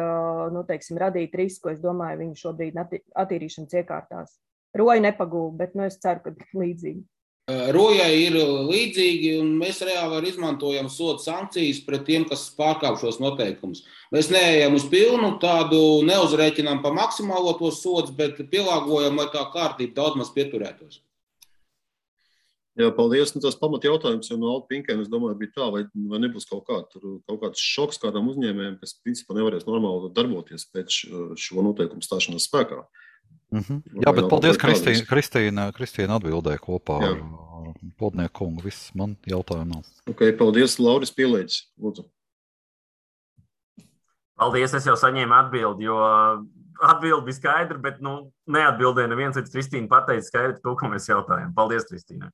radīt risku. Es domāju, viņi šobrīd attīrīšanas iekārtās. Roja nepagūva, bet es ceru, ka līdzīgi. Rojai ir līdzīgi, un mēs reāli izmantojam sodu sankcijas pret tiem, kas pārkāp šos noteikumus. Mēs neejam uz pilnu, tādu neuzrēķinām pa maksimālo tos sodus, bet pielāgojam, lai tā kārtība daudz maz pieturētos. Jā, paldies. Tas pamat jautājums jau no Alta Pinkēna, es domāju, bija tā, vai nebūs kaut kāds šoks kādam uzņēmējiem, kas principā nevarēs normāli darboties pēc šo noteikumu stāšanās spēkā. Jā, bet paldies, Kristīna atbildēja kopā ar Plodnieku kungu. Viss man jautājumu nav. Ok, paldies, Lauris Pielēģis. Lūdzu. Paldies, es jau saņēmu atbildi, jo atbildi bija skaidra, bet neatbildēja neviens, līdz Kristīna pateica skaidri to, ko mēs jautājam. Paldies, Kristīnai.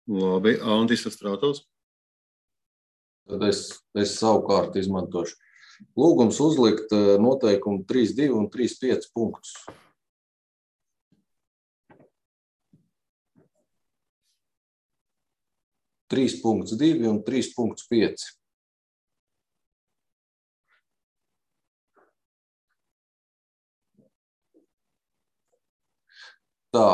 Labi, Andis Astrātovs. Tad es savukārt izmantošu. Lūgums uzlikt noteikumu 3.2 un 3.5 punktus. Trīs punkts 2 un 3.5. Tā,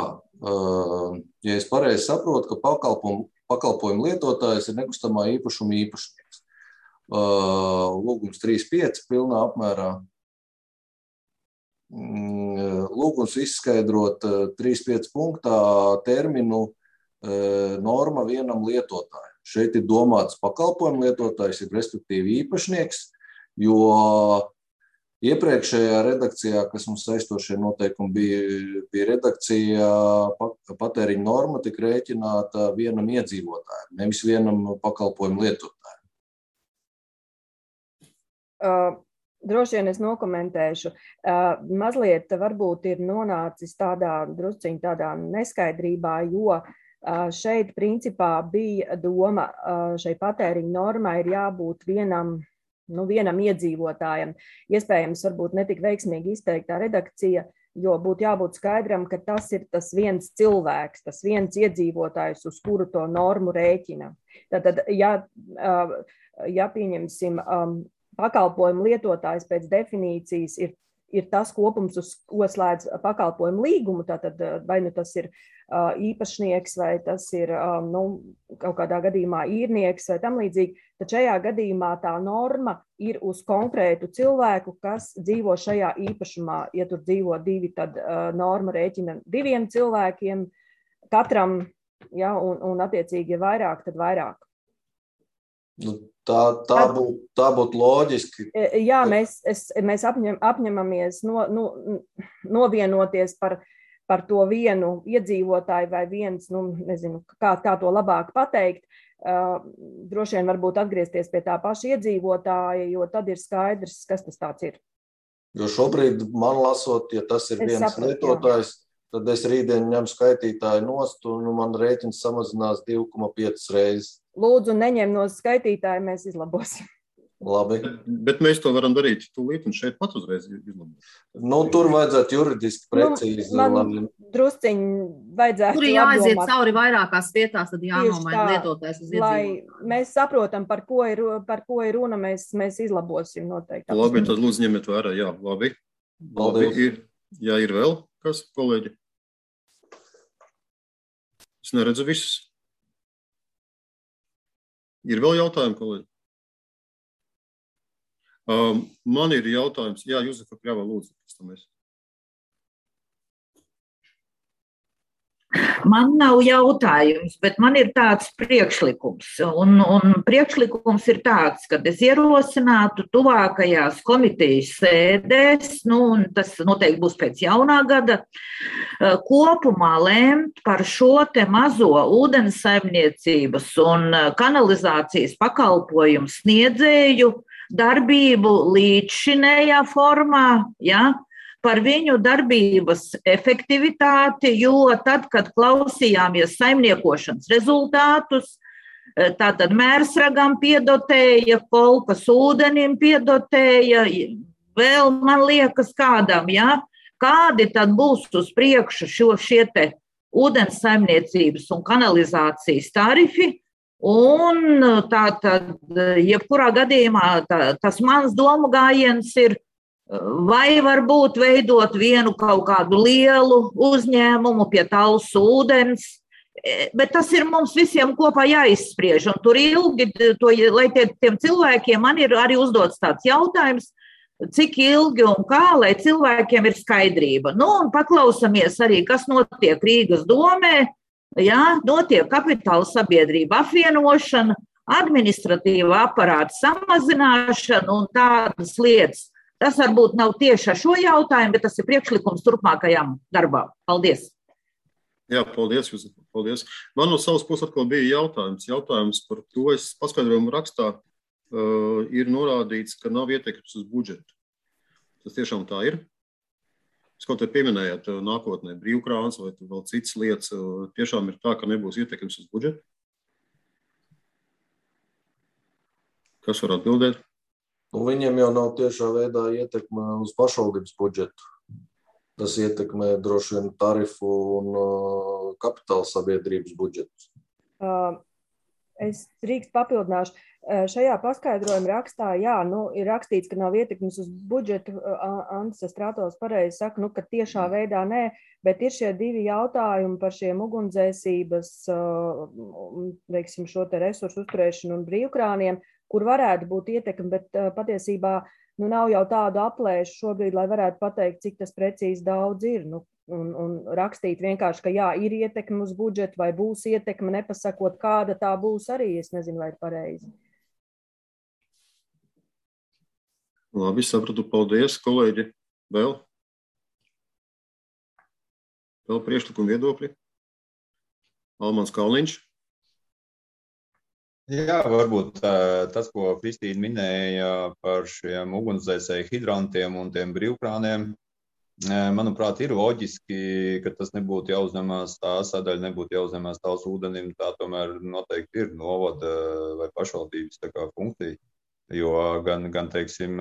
ja es pareizi saprotu, ka pakalpojumu lietotājs ir nekustamā īpašuma īpašnieks. Lūgums 3.5 pilnā apmērā. Lūgums izskaidrot 3.5 punktā terminu norma vienam lietotājam. Šeit ir domāts pakalpojumu lietotājs, ir respektīvi īpašnieks, jo iepriekšējā redakcijā, kas mums saistošie noteikumi bija redakcija, patēriņa norma tika rēķināta vienam iedzīvotājam, nevis vienam pakalpojumu lietotājam. Droši vien es nokomentēšu. Mazliet varbūt ir nonācis drusciņ tādā neskaidrībā, jo šeit principā bija doma, šai patēriņa normai ir jābūt vienam iedzīvotājam. Iespējams, varbūt netik veiksmīgi izteiktā redakcija, jo būtu jābūt skaidram, ka tas ir tas viens cilvēks, tas viens iedzīvotājs, uz kuru to normu rēķina. Tātad, ja pieņemsim, pakalpojumu lietotājs pēc definīcijas ir tas kopums, uz ko slēdz pakalpojumu līgumu, tātad vai tas ir īpašnieks, vai tas ir kaut kādā gadījumā īrnieks vai tam līdzīgi, tad šajā gadījumā tā norma ir uz konkrētu cilvēku, kas dzīvo šajā īpašumā. Ja tur dzīvo 2, tad norma rēķina 2 cilvēkiem katram, ja, un attiecīgi ir vairāk, tad vairāk. Tā būtu loģiski. Jā, mēs apņemamies novienoties par to vienu iedzīvotāju vai viens, nezinu, kā to labāk pateikt. Droši vien varbūt atgriezties pie tā paša iedzīvotāja, jo tad ir skaidrs, kas tas tāds ir. Jo šobrīd man lasot, ja tas ir viens lietotājs, tad es rītdien ņemu skaitītāju nost un man rēķins samazinās 2,5 reizes. Lūdzu, neņem no skaitītāja, mēs izlabosim. Labi. Bet mēs to varam darīt tūlīt un šeit pat uzreiz izlabot. Tur vajadzētu juridiski precīzi. Man drusciņi vajadzētu tur jāaiziet cauri vairākās vietās, tad jānomaina lietotājs uz iedzīvotāju. Lai mēs saprotam, par ko ir runa, mēs izlabosim noteikti. Labi, tad lūdzu ņemiet vērā. Jā, labi. Jā, ir vēl kas, kolēģi? Es neredzu visus. Ir vēl jautājumi, kolēģi? Man ir jautājums, jā, Juzefa Kļava, lūdzu, pēc tam es. Man nav jautājums, bet man ir tāds priekšlikums. Un priekšlikums ir tāds, ka es ierosinātu tuvākajās komitejas sēdēs, un tas noteikti būs pēc jaunā gada, kopumā lēmt par šo te mazo ūdenssaimniecības un kanalizācijas pakalpojumu sniedzēju darbību līdzšinējā formā, ja? Par viņu darbības efektivitāti, jo tad, kad klausījāmies saimniekošanas rezultātus, tātad Mērsragam piedotēja, Kolkas ūdenim piedotēja, vēl man liekas kādam, ja? Kādi tad būs uz priekšu šie te ūdens saimniecības un kanalizācijas tarifi, un tātad, jebkurā gadījumā, tas mans domu gājiens ir, vai varbūt veidot vienu kaut kādu lielu uzņēmumu pie Talsu ūdens, bet tas ir mums visiem kopā jāizspriež. Un tur ilgi, lai tiem cilvēkiem, man ir arī uzdots tāds jautājums, cik ilgi un kā, lai cilvēkiem ir skaidrība. Un paklausamies arī, kas notiek Rīgas domē, ja, notiek kapitāla sabiedrība apvienošana, administratīva aparāta samazināšana un tādas lietas. Tas varbūt nav tieši ar šo jautājumu, bet tas ir priekšlikums turpmākajām darbām. Paldies! Jā, paldies, Jūzef, paldies. Man no savas puses atkal bija jautājums par to, es paskaidrojumu rakstā ir norādīts, ka nav ietekmes uz budžetu. Tas tiešām tā ir? Jūs kaut te pieminējāt nākotnē brīvkrāns vai vēl citas lietas, tiešām ir tā, ka nebūs ietekmes uz budžetu? Kas var atbildēt? Viņiem jau nav tiešā veidā ietekme uz pašvaldības budžetu. Tas ietekmē droši vien tarifu un kapitāla sabiedrības budžetus. Es drīkst papildināšu. Šajā paskaidrojuma rakstā, jā, ir rakstīts, ka nav ietekmes uz budžetu. Andris Strātovs pareizi saka, ka tiešā veidā nē, bet ir šie divi jautājumi par šiem ugunsdzēsības, veiksim, šo te resursu uzturēšanu un brīvkrāniem, kur varētu būt ietekme, bet patiesībā nav jau tādu aplēšu šobrīd, lai varētu pateikt, cik tas precīzi daudz ir. Un rakstīt vienkārši, ka jā, ir ietekme uz budžetu vai būs ietekme, nepasakot, kāda tā būs arī, es nezinu, vai ir pareizi. Labi, sapratu, paldies, kolēģi. Vēl priekšlikumu viedokļi? Almans Kalniņš. Jā, varbūt tas, ko Kristīna minēja par šiem ugunsdzēsēju hidrantiem un tiem brīvkrāniem, manuprāt, ir loģiski, ka tas nebūtu jāuzņemās, tā sadaļa nebūtu jāuzņemās Talsu ūdenim, tā tomēr noteikti ir novada vai pašvaldības tā kā funkcija, jo gan teiksim,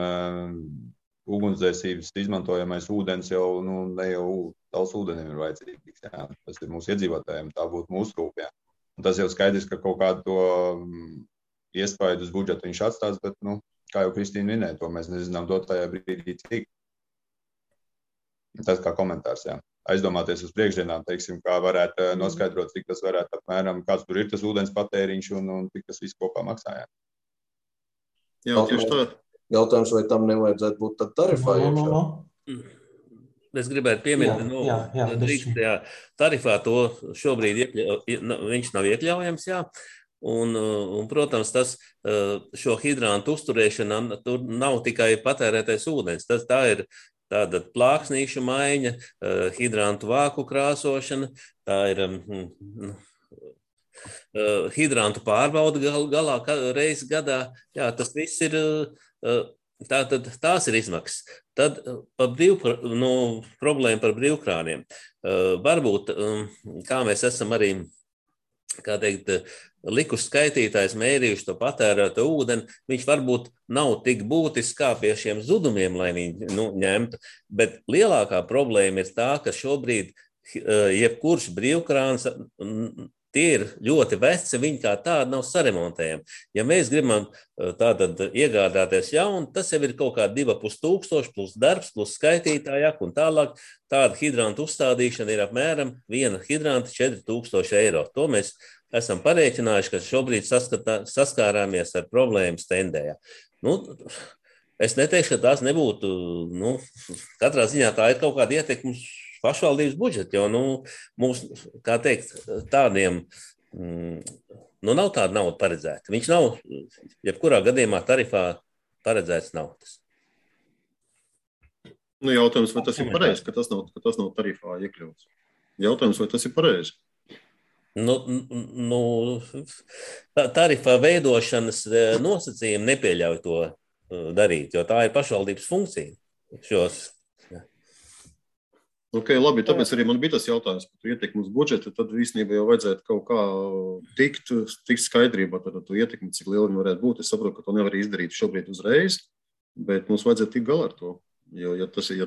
ugunsdzēsības izmantojamais ūdens jau, ne jau Talsu ūdenim ir vajadzīgs, jā, tas ir mūsu iedzīvotājiem, tā būtu mūsu rūp, jā. Un tas jau skaidrs, ka kaut kādu to iespaidu uz budžetu viņš atstās, bet, kā jau Kristīna minēja, to mēs nezinām dotajā brīdī cik. Tas kā komentārs, jā. Aizdomāties uz priekšdienām, teiksim, kā varētu noskaidrot, cik tas varētu apmēram, kāds tur ir tas ūdens patēriņš un cik tas viss kopā maksā, jā. Jā, tieši tā. Jautājums, vai tam nevajadzētu būt tad tarifā iekšā? Es gribētu pieminēt, tarifā to šobrīd viņš nav iekļaujams, jā. Un, protams, šo hidrantu uzturēšana tur nav tikai patērētais ūdens. Tā ir tāda plāksnīšu maiņa, hidrantu vāku krāsošana, tā ir hidrantu pārbauda galā reizi gadā. Jā, tas viss ir... Tātad tās ir izmaksas. Tad problēma par brīvkrāniem. Varbūt, kā mēs esam arī, kā teikt, likuši skaitītājs mērījuši to patērēto ūdeni, viņš varbūt nav tik būtisks kā pie šiem zudumiem, lai viņi ņemtu, bet lielākā problēma ir tā, ka šobrīd jebkurš brīvkrāns tie ir ļoti veci, viņi kā tādi nav saremontējami. Ja mēs gribam tātad iegādāties jaunu, tas jau ir kaut kā 2500 plus darbs, plus skaitītājāk un tālāk. Tāda hidranta uzstādīšana ir apmēram viena hidranta 4000 eiro. To mēs esam parēķinājuši, ka šobrīd saskārāmies ar problēmas tendējā. Es neteikšu, ka tās nebūtu, katrā ziņā tā ir kaut kāda ietekme uz pašvaldības budžetu, jo, mums, kā teikt, tādiem, nav tāda nauda paredzēta. Viņš nav, jebkurā gadījumā tarifā paredzēts nav tas. Jautājums, vai tas ir pareizi, ka tas nav tarifā iekļauts? Jautājums, vai tas ir pareizi? Tarifā veidošanas nosacījumi nepieļauj to darīt, jo tā ir pašvaldības funkcija. Labi, tāpēc arī man bija tas jautājums par ietekmi uz budžetu, tad īstenībā jau vajadzētu kaut kā tikt skaidrībā par to ietekmi, cik liela viņa varētu būt. Es saprotu, ka to nevar izdarīt šobrīd uzreiz, bet mums vajadzētu tikt galā ar to, jo, ja tas ir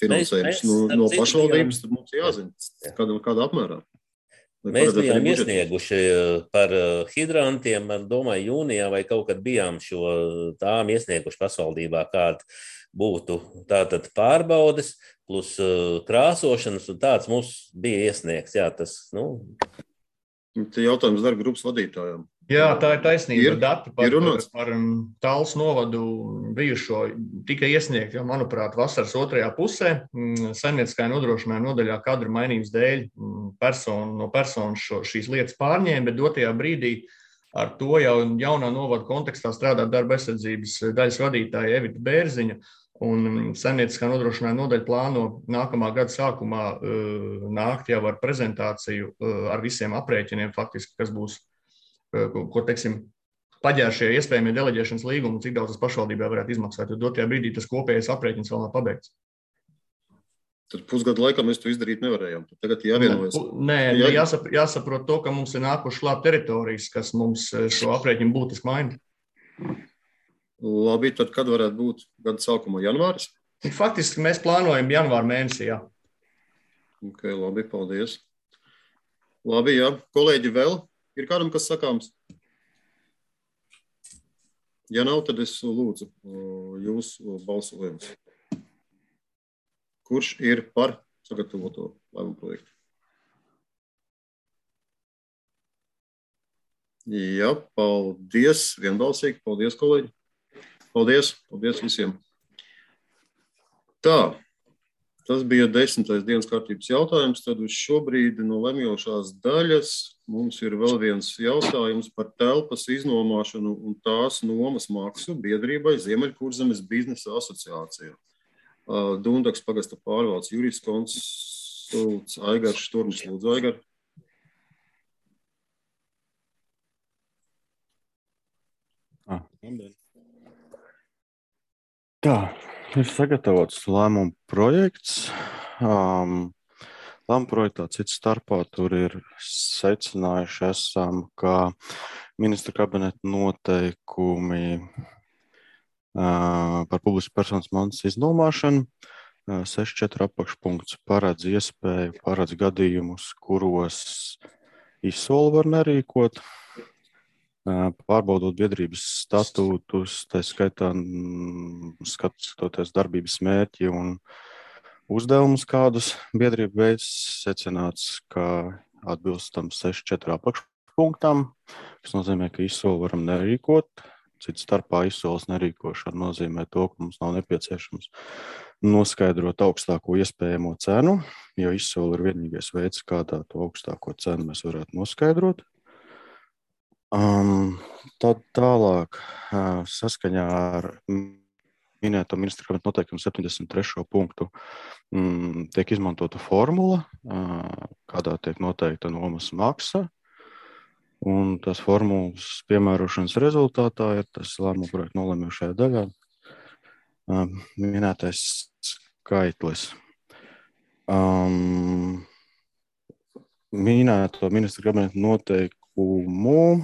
finansējums no pašvaldības, tad mums jāzina, kādā apmērā. Mēs bijām iesnieguši par hidrantiem, domāju, jūnijā vai kaut kad bijām tām iesnieguši pašvaldībā, kāda būtu tātad pārbaudes plus krāsošanas, un tāds mums bija iesniegts. Jā, tas, Te jautājums darba grupas vadītājiem. Jā, tā ir taisnība. Dati par Tallas novadu bijušo tika iesniegt, jo, manuprāt, vasaras otrajā pusē saimnieciskajā nodrošinājuma nodaļā kadru mainības dēļ no personas šīs lietas pārņēma, bet dotajā brīdī ar to jau jaunā novada kontekstā strādā darba aizsardzības daļas vadītāja Evita Bērziņa, un saimnieciskā nodrošinājuma nodaļa plāno nākamā gada sākumā nākt jau ar prezentāciju ar visiem aprēķiniem, faktiski, kas būs, ko, teiksim, paģēršie iespējamie deleģēšanas līgumi, cik daudz tas pašvaldībā varētu izmaksāt, jo dotajā brīdī tas kopējais aprēķins vēl nav pabeigts. Tad pusgadu laikā mēs to izdarīt nevarējām. Tagad jāvienojas. Jāsaprot to, ka mums ir nākuši klāt teritorijas, kas mums šo aprēķinu būtiski maina. Labi, tad kad varētu būt gada sākumā? Janvāris? Faktiski mēs plānojam janvāra mēnesī, jā. Labi, paldies. Labi, jā. Kolēģi, vēl ir kādam, kas sakāms? Ja nav, tad es lūdzu jūsu balsojumus. Kurš ir par sagatavoto lēmumu projektu? Jā, paldies. Vienbalsīgi. Paldies, kolēģi. Paldies visiem. Tā, tas bija 10. dienas kārtības jautājums. Tad uz šobrīd no lemjošās daļas mums ir vēl viens jautājums par telpas iznomāšanu un tās nomas maksu biedrībai Ziemeļkurzemes biznesa asociācijā. Dundaks pagasta pārvaldes jurists konsults Aigars Šturms. Lūdzu, Aigar. Tā, ir sagatavots lēmumu projekts. Lēmumu projektā cits starpā tur ir secinājuši esam, ka ministra kabineta noteikumi par publisku personas mantas iznomāšanu 6.4 apakšpunkts paredz gadījumus, kuros izsoli var nerīkot, pārbaudot biedrības statūtus, tā skaitā skatoties darbības mērķi un uzdevumus, kādus biedrība veids, secināts, ka atbilstam 6.4 apakšpunktam, kas nozīmē, ka izsoli varam nerīkot. Cits starpā izsoles nerīkošana nozīmē to, ka mums nav nepieciešams noskaidrot augstāko iespējamo cenu, jo izsole ir vienīgais veids, kādā to augstāko cenu mēs varētu noskaidrot. Tad tālāk, saskaņā ar minēto ministra kabineta noteikumu 73. punktu, tiek izmantota formula, kādā tiek noteikta nomas maksa, un tās formulas piemērošanas rezultātā ir tas lēmumu projekta nolemjošajā daļā minētais skaitlis. Minēto ministra kabineta noteikumu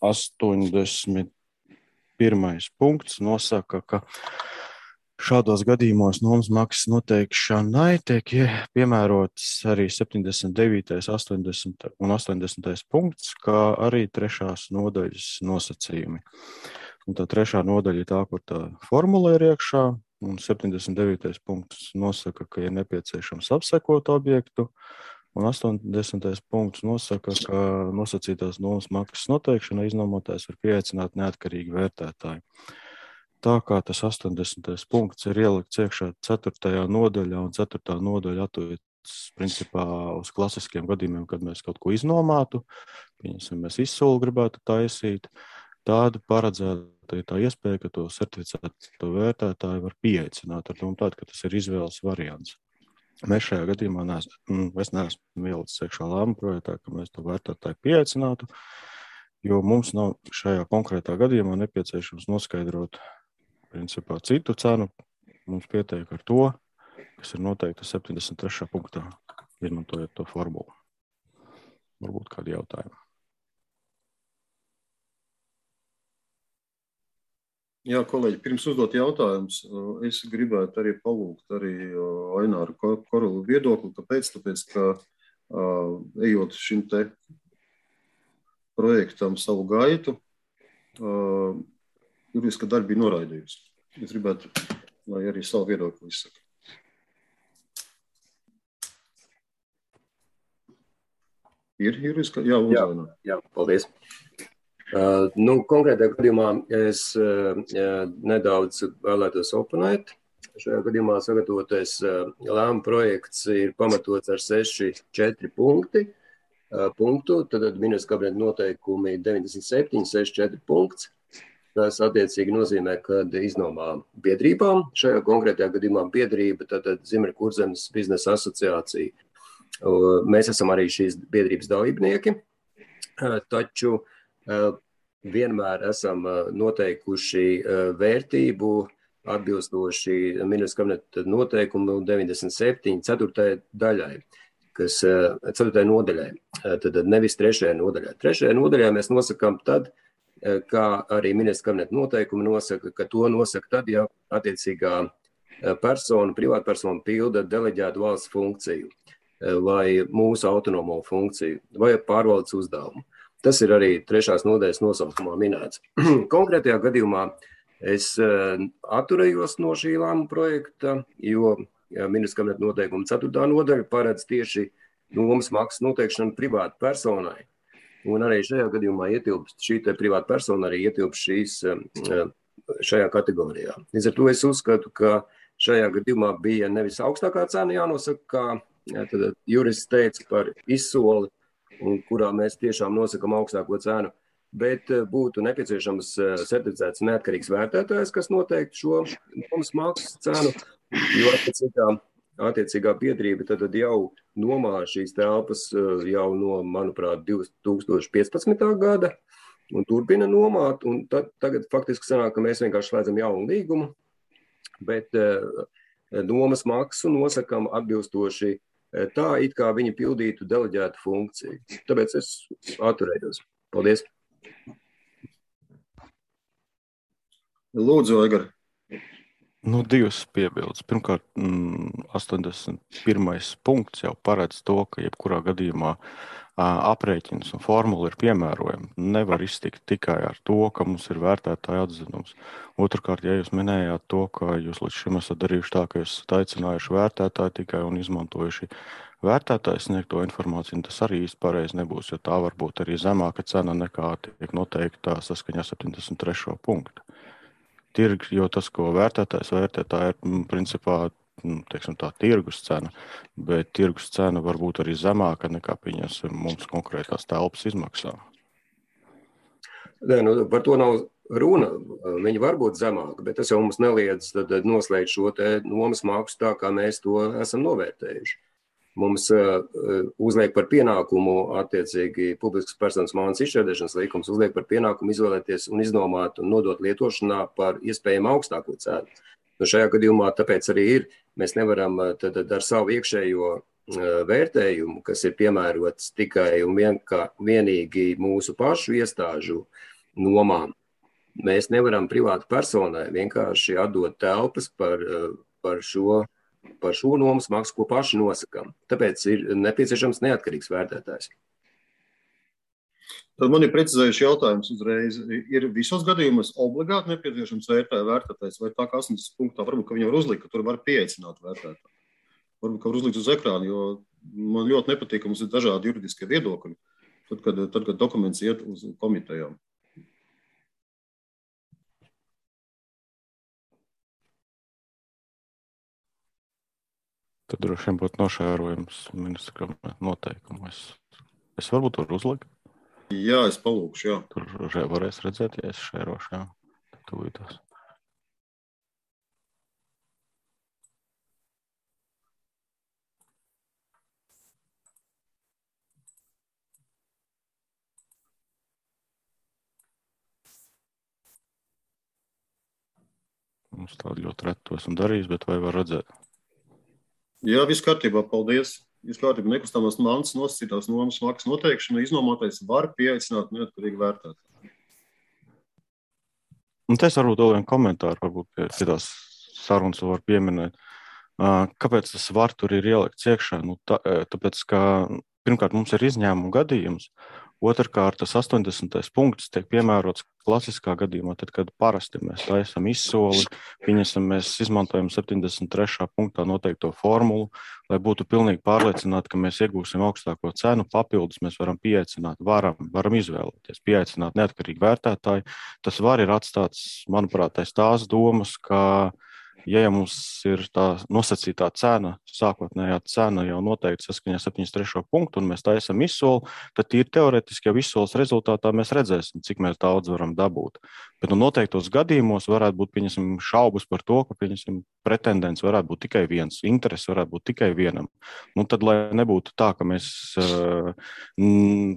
81. punkts nosaka, ka šādos gadījumos nomas maksas noteikšanai tiek piemērots arī 79., 80. un 80. punkts, kā arī 3. nodaļas nosacījumi. Un tā 3. nodaļa ir tā, kur tā formula ir iekšā, un 79. punkts nosaka, ka ir nepieciešams apsekot objektu, Un 80. punkts nosaka, ka nosacītās nomas maksas noteikšana iznomotājs var pieaicināt neatkarīgi vērtētāji. Tā kā tas 80. punkts ir ielikts iekšā 4. nodaļā, un 4. nodaļa attiecas principā uz klasiskiem gadījumiem, kad mēs kaut ko iznomātu, pieņemsim, mēs izsoli gribētu taisīt, tāda paredzēta tā iespēja, ka to certificētu vērtētāju var pieaicināt ar domu tādu, ka tas ir izvēles variants. Mēs šajā gadījumā neesmu ielicis iekšā lēmuma projektā, ka mēs to vērtētāju pieaicinātu, jo mums nav šajā konkrētā gadījumā nepieciešams noskaidrot principā citu cenu. Mums pietiek ar to, kas ir noteikta 73. punktā, izmantojot to formulu. Varbūt kādi jautājumi. Jā, kolēģi, pirms uzdot jautājumus, es gribētu arī palūgt arī Aināru Korolu viedokli, kāpēc? Tāpēc, ka ejot šim te projektam savu gaitu, juridiska darba bija noraidījusi. Es gribētu, lai arī savu viedokli izsaka. Ir juridiska? Jā, uzvainā. Jā, paldies. Konkrētajā gadījumā es nedaudz vēlētos oponēt. Šajā gadījumā sagatavotais lēmuma projekts ir pamatots ar 6.4 punktu, tad ministra kabineta noteikumi 97, 6.4 punkts. Tas attiecīgi nozīmē, ka iznomā biedrībām, šajā konkrētajā gadījumā biedrība, tad Ziemeļkurzemes biznesa asociācija. Mēs esam arī šīs biedrības dalībnieki, taču vienmēr esam noteikuši vērtību atbilstoši ministra kabineta noteikumu 97. 4. daļai, kas 4. nodaļai, tad nevis 3. nodaļai. 3. nodaļā mēs nosakām tad, kā arī ministra kabineta noteikumi nosaka, ka to nosaka tad, ja attiecīgā persona, privātpersona pilda deleģētu valsts funkciju vai mūsu autonomo funkciju vai pārvaldes uzdevumu. Tas ir arī 3. nodaļas nosaukumā minēts. Konkrētajā gadījumā es atturējos no šī lēmuma projekta, jo ministra kabineta noteikuma 4. nodaļa paredz tieši nomas maksas noteikšanu privātu personai. Un arī šajā gadījumā ietilpst šī privāta persona arī ietilpst šajā kategorijā. Līdz ar to es uzskatu, ka šajā gadījumā bija nevis augstākā cena jānosaka, kā tad jurists teica par izsoli, un kurā mēs tiešām nosakam augstāko cenu, bet būtu nepieciešams certificēts neatkarīgs vērtētājs, kas noteikti šo nomas maksas cenu, jo attiecīgā biedrība tad jau nomā šīs telpas jau no, manuprāt, 2015. gada un turpina nomāt, un tagad faktiski sanāk, ka mēs vienkārši slēdzam jaunu līgumu, bet nomas maksu nosakam atbilstoši tā, it kā viņi pildītu deleģētu funkciju. Tāpēc es atturējos. Paldies. Lūdzu, Aigar. Divas piebildes. Pirmkārt, 81. punkts jau paredz to, ka jebkurā gadījumā aprēķins un formula ir piemērojama. Nevar iztikt tikai ar to, ka mums ir vērtētāja atzinums. Otrkārt, ja jūs minējāt to, ka jūs līdz šim esat darījuši tā, ka jūs esat aicinājuši vērtētāju tikai un izmantojuši vērtētāju sniegto informāciju, tas arī īsti pareizi nebūs, jo tā var būt arī zemāka cena nekā tiek noteikta saskaņā 73. punktu. Tirgi, jo tas, ko vērtētājs vērtē, tā ir principā teiksim tā tirgus cena, bet tirgus cena var būt arī zemāka nekā pieņemsim mums konkrētās telpas izmaksā. Par to nav runa. Viņi var būt zemāka, bet tas jau mums neliedz noslēgt šo nomas maksu tā, kā mēs to esam novērtējuši. Mums uzliek par pienākumu attiecīgi publiskas personas mājas izšķērdēšanas likums, uzliek par pienākumu izvēlēties un iznomāt un nodot lietošanā par iespējami augstāko cenu. Šajā gadījumā tāpēc arī ir, mēs nevaram tad ar savu iekšējo vērtējumu, kas ir piemērots tikai un vienīgi mūsu pašu iestāžu nomām. Mēs nevaram privātu personai vienkārši atdot telpas par šo nomas maksu, ko paši nosakām. Tāpēc ir nepieciešams neatkarīgs vērtētājs. Tad man ir precizējuši jautājums uzreiz. Ir visos gadījumos obligāti nepieciešams vērtētājs, vai tā kā 80. punktā varbūt, ka viņi var uzlikt, ka tur var pieaicināt vērtētāju? varbūt kā uzlikt uz ekrānu, jo man ļoti nepatīk, ka mums ir dažādi juridiskie viedokļi, tad, kad dokuments iet uz komitejām. Tad droši vien būtu nošērojums ministra noteikumu. Es varbūt tur uzliku. Jā, es palūkšu, jā. Tur varēs redzēt, ja es šērošu, jā. Tūlītās. Mums tādu ļoti retu esmu darījis, bet vai var redzēt? Jā, viss kārtībā, paldies. Viss kārtībā, nekustamās mantas nosacītās nomas maksas noteikšana iznomātais var pieaicināt neatkarīgi vērtētāju. Un te es varbūt vēl vienu komentāru, varbūt pie tās sarunas var pieminēt. Kāpēc tas var tur ir ielikts iekšā? Nu, tāpēc, ka pirmkārt mums ir izņēmuma gadījums, otrkārt tas 80. punkts tiek piemērots klasiskā gadījumā, tad, kad parasti mēs taisam izsoli, mēs izmantojam 73. punktā noteikto formulu, lai būtu pilnīgi pārliecināti, ka mēs iegūsim augstāko cenu, papildus mēs varam pieaicināt, varam izvēlēties, pieaicināt neatkarīgi vērtētāji. Tas var ir atstāts, manuprāt, tās domas, ka ja mums ir tā nosacītā cena, sākotnējā cena jau noteikti saskaņā 73. punktu, un mēs taisam izsoli, tad ir teoretiski jau izsoles rezultātā mēs redzēsim, cik mēs daudz varam dabūt. Bet noteiktos gadījumos varētu būt šaubas par to, ka pretendents varētu būt tikai viens, interesi varētu būt tikai vienam. Tad, lai nebūtu tā, ka mēs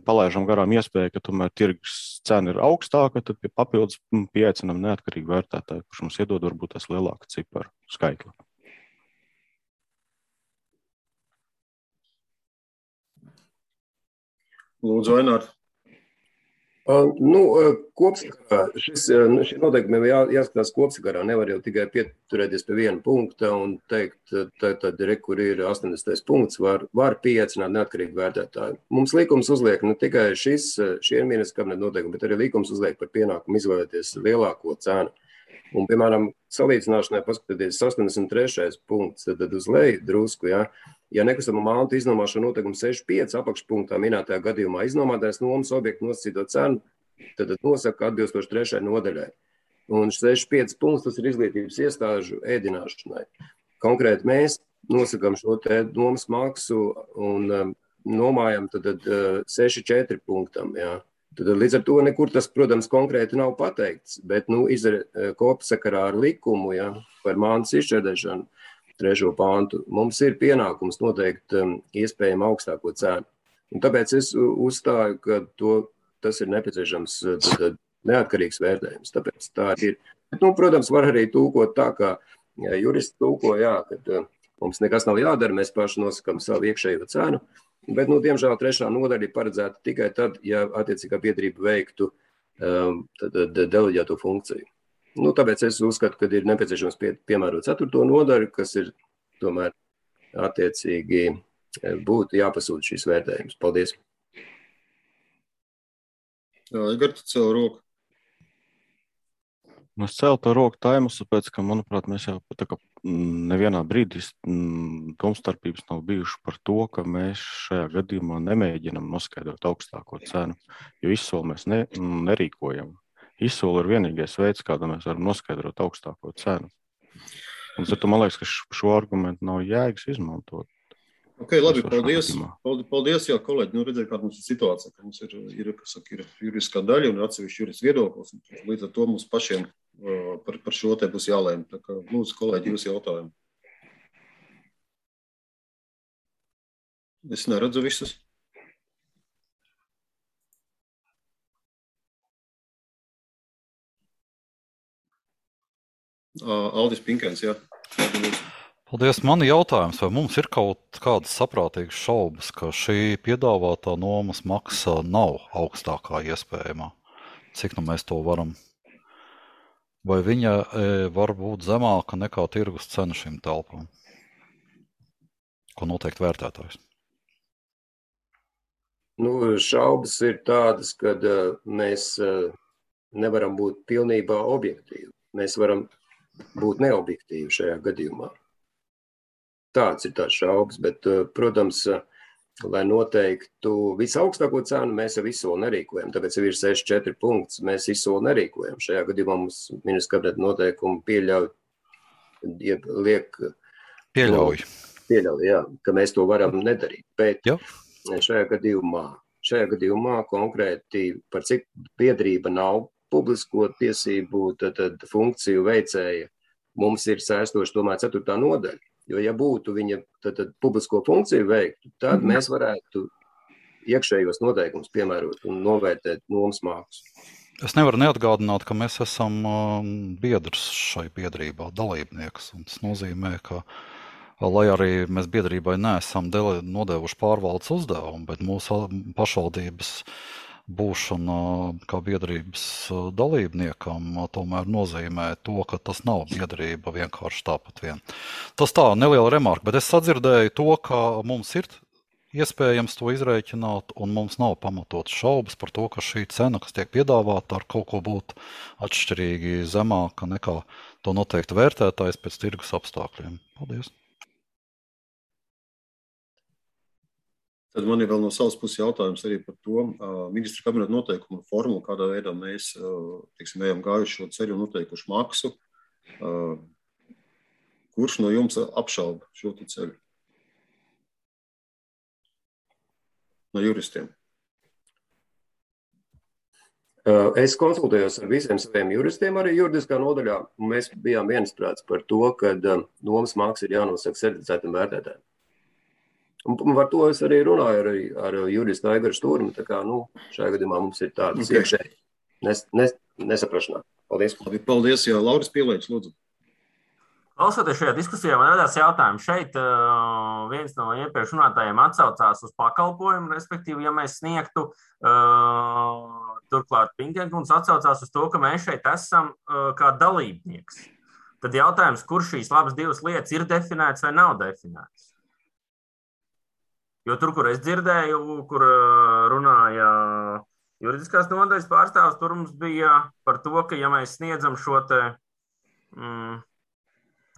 palaižam garām iespēju, ka tomēr tirgus cena ir augstāka, tad papildus pieaicinam neatkarīgi vērtētāju, kurš mums iedod varbūt tas lielāka ciparu skaitli. Lūdzu, Ainār. Kopsakarā šie noteikumi jāskatās kopsakarā. Nevar jau tikai pieturēties pie viena punkta un teikt, tad, kur ir 80. punkts, var pieaicināt neatkarīgi vērtētāju. Mums likums uzliek ne tikai šie ministra kabineta noteikumi, bet arī likums uzliek par pienākumu izvēlēties lielāko cenu. Un, piemēram, salīdzināšanai paskatieties 83. punkts, tad uz leju drusku, ja nekustamo mantu iznomāšana noteikuma 65 apakšpunktā minētajā gadījumā iznomātais nomas objektu nosacīto cenu, tad nosaka atbilstoši 3. nodaļai. Un 65 punkts tas ir izglītības iestāžu ēdināšanai. Konkrēti mēs nosakām šo te nomas maksu un nomājam tad 6,4 punktam, Tad līdz ar to nekur tas, protams, konkrēti nav pateikts, bet kopsakarā ar likumu par mantas izšķērdēšanu 3. pāntu mums ir pienākums noteikt iespējami augstāko cenu. Un tāpēc es uzstāju, ka tas ir nepieciešams neatkarīgs vērtējums. Tāpēc tā ir. Bet, protams, var arī tūkot tā, kā juristi tūko, kad mums nekas nav jādara, mēs paši nosakam savu iekšējo cenu. Bet, diemžēl, 3. nodaļa ir paredzēta tikai tad, ja attiecīgā biedrība veiktu deleģēto funkciju. Tāpēc es uzskatu, ka ir nepieciešams piemērot 4. nodaļu, kas ir tomēr attiecīgi būtu jāpasūta šīs vērtējums. Paldies. Jā, Igor, tu cēl roku. Es cēlu to roku taimus, tāpēc, ka, manuprāt, mēs jau nevienā brīdī domstarpības nav bijuši par to, ka mēs šajā gadījumā nemēģinam noskaidrot augstāko cenu, jo izsoli mēs nerīkojam. Izsoli ir vienīgais veids, kādā mēs varam noskaidrot augstāko cenu. Un tad man liekas, ka šo argumentu nav jēgas izmantot. Ok, labi, paldies. Paldies, jā, kolēģi. Redzēju, kāda mums ir situācija, ka mums ir juridiskā daļa un atsevišķi juridiski viedoklis. Līdz ar to mums pašiem par šo te būs jālēm. Tā kā, lūdzu, kolēģi, jūs jautājumu. Es neredzu visus. Aldis Pinkēns, jā. Paldies. Man jautājums, vai mums ir kaut kādas saprātīgas šaubas, ka šī piedāvātā nomas maksa nav augstākā iespējamā? Cik mēs to varam? Vai viņa var būt zemāka nekā tirgus cena šīm telpām? Ko noteikti vērtētājs? Šaubas ir tādas, ka mēs nevaram būt pilnībā objektīvi. Mēs varam būt neobjektīvi šajā gadījumā. tāds ir tās šaubas, bet, protams, lai noteiktu visaugstāko cenu, mēs jau izsoli nerīkojam. Tāpēc jau ir 64 punkts, mēs izsoli nerīkojam. Šajā gadījumā mums ministra kabineta noteikumi pieļauj, jā, ka mēs to varam nedarīt. Bet šajā gadījumā konkrēti par cik biedrība nav publisko tiesību tad funkciju veicēja, mums ir saistoši tomēr 4. nodaļa. Jo, ja būtu viņa tad publisko funkciju veiktu, tad mēs varētu iekšējos noteikumus piemērot un novērtēt nomas mākslu. Es nevaru neatgādināt, ka mēs esam biedrs šai biedrībā, dalībnieks. Un tas nozīmē, ka, lai arī mēs biedrībai neesam nodevuši pārvaldes uzdevumu, bet mūsu pašvaldības būšana kā biedrības dalībniekam tomēr nozīmē to, ka tas nav biedrība vienkārši tāpat vien. Tas tā, neliela remarka, bet es sadzirdēju to, ka mums ir iespējams to izrēķināt, un mums nav pamatotas šaubas par to, ka šī cena, kas tiek piedāvāta, ar kaut ko būtu atšķirīgi zemāka nekā to noteikti vērtētājs pēc tirgus apstākļiem. Paldies! Tad man ir vēl no savas puses jautājums arī par to ministra kabineta noteikumu formulu, kādā veidā mēs, ejam gājuši šo ceļu un noteikuši maksu. Kurš no jums apšauba šo ceļu? No juristiem. Es konsultējos ar visiem saviem juristiem arī juridiskā nodaļā, un mēs bijām viensprāts par to, ka nomas maksa ir jānosaka certificētam vērtētājiem. Un par to es arī runāju ar juristu Aigaru Stūrmu, tā kā, šajā gadījumā mums ir tādas iekšēji nesaprašanās. Paldies. Paldies, jā, Lauris Pielēģis, lūdzu. Klausoties šajā diskusijā, man radās jautājums. Šeit viens no iepriekš runātājiem atsaucās uz pakalpojumu, respektīvi, ja mēs sniegtu, turklāt Pinkenkunds atsaucās uz to, ka mēs šeit esam kā dalībnieks. Tad jautājums, kur šīs labas divas lietas ir definētas vai nav definētas? Jo tur, kur es dzirdēju, kur runāja juridiskās nodaļas pārstāvs, tur mums bija par to, ka ja mēs sniedzam šo te,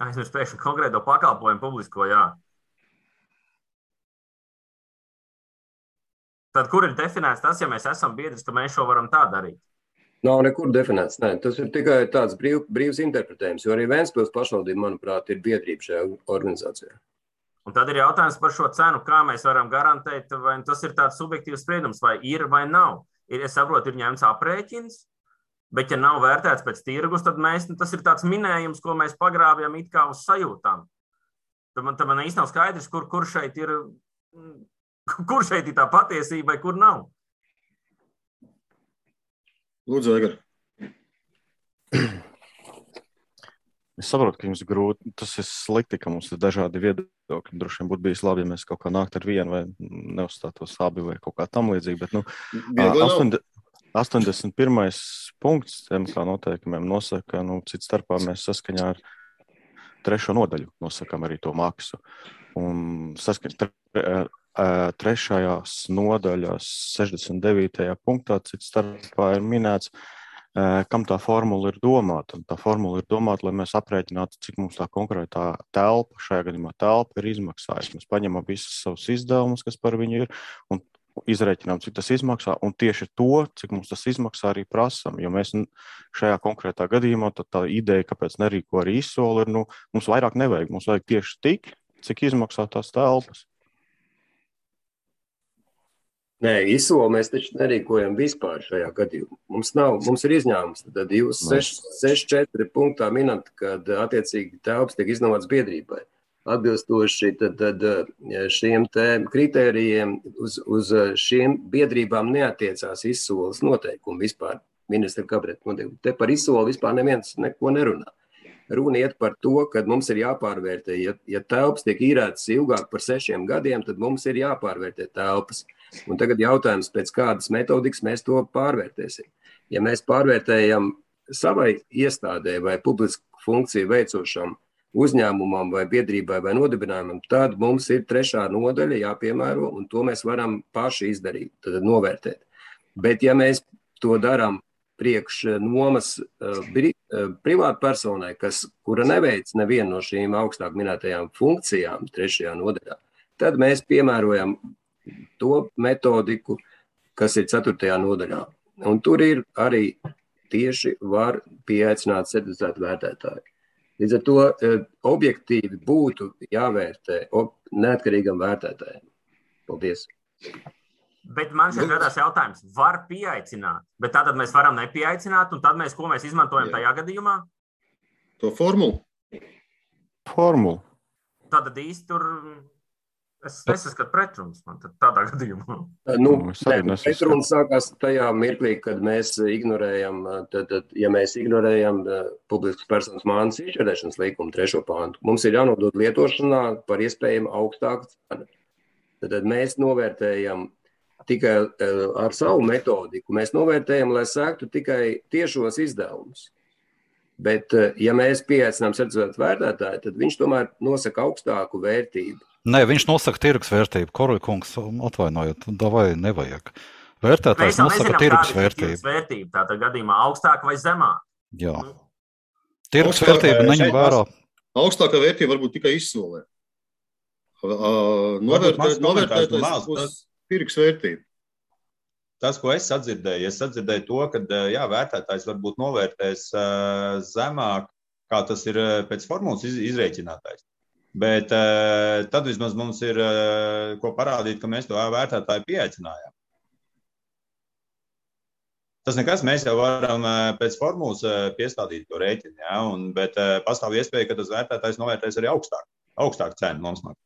aizmirspēkšņi konkrēto pakalpojumu publisko, jā. Tad kur ir definēts tas, ja mēs esam biedrs, ka mēs šo varam tā darīt? Nav nekur definēts, nē. Tas ir tikai tāds brīvs interpretējums, jo arī Ventspils pašvaldība, manuprāt, ir biedrība šajā organizācijā. Un tad ir jautājums par šo cenu, kā mēs varam garantēt, vai tas ir tāds subjektīvs spriedums, vai ir vai nav. Es saprotu, ir ņemts aprēķins, bet ja nav vērtēts pēc tirgus, tad tas ir tāds minējums, ko mēs pagrābjam it kā uz sajūtām. Tad man īsti nav skaidrs, kur šeit ir tā patiesība, vai kur nav. Lūdzu, Aigar. Es saprotu, ka jums grūti, tas ir slikti, ka mums ir dažādi viedokļi. Droši vien būtu bijis labi, ja mēs kaut kā nāktu ar vienu vai neuzstātos abi vai kaut kā tam līdzīgi, bet 81. punkts MK noteikumiem nosaka, cits starpā mēs saskaņā ar 3. nodaļu nosakam arī to maksu. Un saskaņā 3. nodaļas 69. punktā cits starpā ir minēts, kam tā formula ir domāta. Un tā formula ir domāta, lai mēs aprēķinātu, cik mums tā konkrētā telpa, šajā gadījumā telpa ir izmaksājusi. Mēs paņemam visus savus izdevumus, kas par viņu ir, un izrēķinām, cik tas izmaksā, un tieši to, cik mums tas izmaksā, arī prasam. Jo mēs šajā konkrētā gadījumā, tad tā ideja, kāpēc nerīko arī izsoli, ir, mums vairāk nevajag. Mums vajag tieši tik, cik izmaksā tās telpas. Nē, izsoli mēs taču nerīkojam vispār šajā gadījumā. Mums ir izņēmums. Tad jūs 6.4 punktā minat, kad attiecīgi telpas tiek iznomāts biedrībai. Atbilstoši tad šiem te kritērijiem uz šiem biedrībām neatiecās izsoles noteikumi vispār. Ministra kabineta noteikumi. Te par izsoli vispār neviens neko nerunā. Runa iet par to, ka mums ir jāpārvērtē. Ja telpas tiek īrētas ilgāk par 6 gadiem, tad mums ir jāpārvērtē telpas. Un tagad jautājums, pēc kādas metodikas mēs to pārvērtēsim. Ja mēs pārvērtējam savai iestādē vai publisku funkciju veicošam uzņēmumam vai biedrībai vai nodibinājumam, tad mums ir 3. nodaļa jāpiemēro, un to mēs varam paši izdarīt, tad novērtēt. Bet ja mēs to darām priekš nomas privātpersonai, kura neveic nevienu no šīm augstāk minētajām funkcijām 3. nodaļā, tad mēs piemērojam to metodiku, kas ir 4. nodaļā. Un tur ir arī tieši var pieaicināt certificētu vērtētāju. Līdz ar to objektīvi būtu jāvērtē neatkarīgam vērtētājiem. Paldies. Bet man šeit radās jautājums, var pieaicināt, bet tad mēs varam nepieaicināt, un tad ko mēs izmantojam tajā gadījumā? To formulu. Tad īsti tur es nesaskatu pretrunas man tādā gadījumā. Pretrunas sākās tajā mirklī, kad mēs ignorējam, ja mēs ignorējam publiskas personas mājas izšķirēšanas līkumu 3. pāntu, mums ir jānodod lietošanā par iespējamu augstāku cenu. Tad mēs novērtējam tikai ar savu metodiku, mēs novērtējam, lai sektu tikai tiešos izdevumus. Bet, ja mēs pieaicinām certificētu vērtētāju, tad viņš tomēr nosaka augstāku vērtību. Nē, viņš nosaka tirgus vērtību. Koroja kungs, atvainojot, vai nevajag. Vērtētājs nosaka tirgus vērtību. Tātad gadījumā augstāk vai zemāk? Jā. Tirgus vērtība neņem vērā. Augstākā vērtība varbūt tikai izsolē. Novērtētājs būs tirgus vērtība. Tas, ko es sadzirdēju to, ka vērtētājs varbūt novērtēs zemāk, kā tas ir pēc formulas izrēķinātais. Bet tad vismaz mums ir ko parādīt, ka mēs to vērtētāju pieaicinājām. Tas nekas, mēs jau varam pēc formulas piestādīt to rēķinu, bet pastāv iespēja, ka tas vērtētājs novērtēs arī augstāk cenu nomasmāk.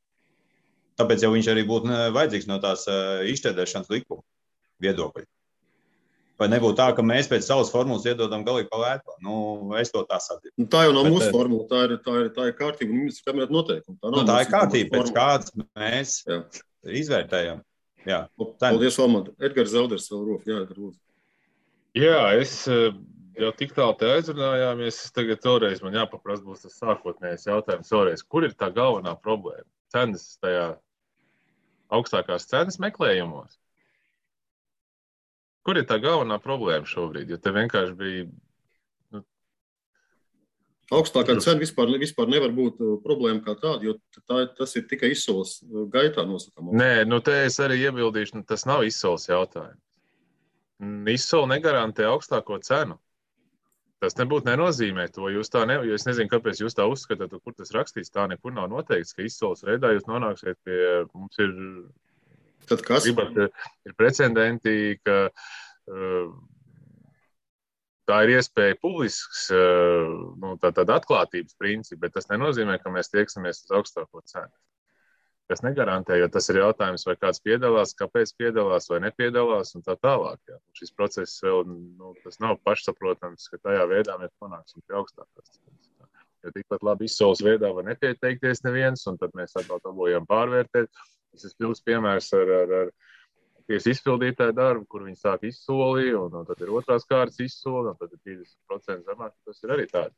Tāpēc jau viņš arī būtu vajadzīgs no tās izšķērdēšanas likuma viedokļi. Vai nebūtu tā, ka mēs pēc savas formulas iedodam galīgi pa vērto? Es to tā sadzirdu. Tā jau nav mūsu formula, tā ir kārtība un ministra kabineta noteikuma. Tā ir kārtība, pēc kādas mēs izvērtējam. Jā. Paldies, Valmant. Edgars Zelders vēl roku. Jā, Edgars, lūdzu. Jā, es jau tik tālu te aizrunājāmies, tagad vēlreiz man jāpaprast būs tas sākotnējais jautājums vēlreiz. Kur ir tā galvenā problēma? Cenas tajā augstākās cenas meklējumos? Kur ir tā galvenā problēma šobrīd? Jo te vienkārši bija... Augstākā cena vispār nevar būt problēma kā tāda, jo tas ir tikai izsoles gaitā nosakām. Nē, te es arī iebildīšu, tas nav izsoles jautājums. Izsole negarantē augstāko cenu. Tas nebūtu nenozīmē to. Jo es nezinu, kāpēc jūs tā uzskatāt, kur tas rakstīts. Tā nekur nav noteikts, ka izsoles veidā jūs nonāksiet pie... Mums ir... Tad kas? Ir precedenti, ka tā ir iespēja publisks, tāda atklātības principi, bet tas nenozīmē, ka mēs tieksimies uz augstāko cenu. Tas negarantē, jo tas ir jautājums, vai kāds piedalās, kāpēc piedalās vai nepiedalās un tā tālāk. Jā. Šis process vēl, tas nav pašsaprotams, ka tajā veidā mēs panāksim pie augstākās cenas. Jo tikpat labi izsoles veidā var nepieteikties neviens, un tad mēs atkal dabūjam pārvērtēt. Tas ir pilns piemērs ar tiesu izpildītāju darbu, kur viņi sāk izsoli, un tad ir otrās kārtas izsoli, un tad ir 50% zemāk. Tas ir arī tāds.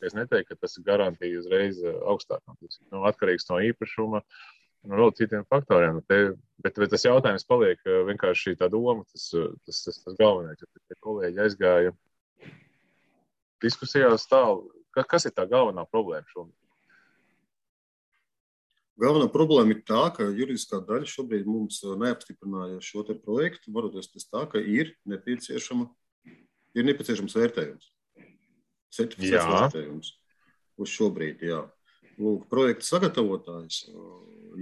Es neteiktu, ka tas ir garantija uzreiz augstāk. Tas ir atkarīgs no īpašuma un vēl citiem faktoriem. Bet tas jautājums paliek vienkārši tā doma, tas galvenais. Ja kolēģi aizgāja diskusijās tālu, kas ir tā galvenā problēma šobrīd? Galvenā problēma ir tā, ka juridiskā daļa šobrīd mums neapstiprināja šo te projektu, varoties tas tā, ka ir nepieciešams vērtējums. Certificēts vērtējums uz šobrīd, jā. Lūk, projekta sagatavotājs,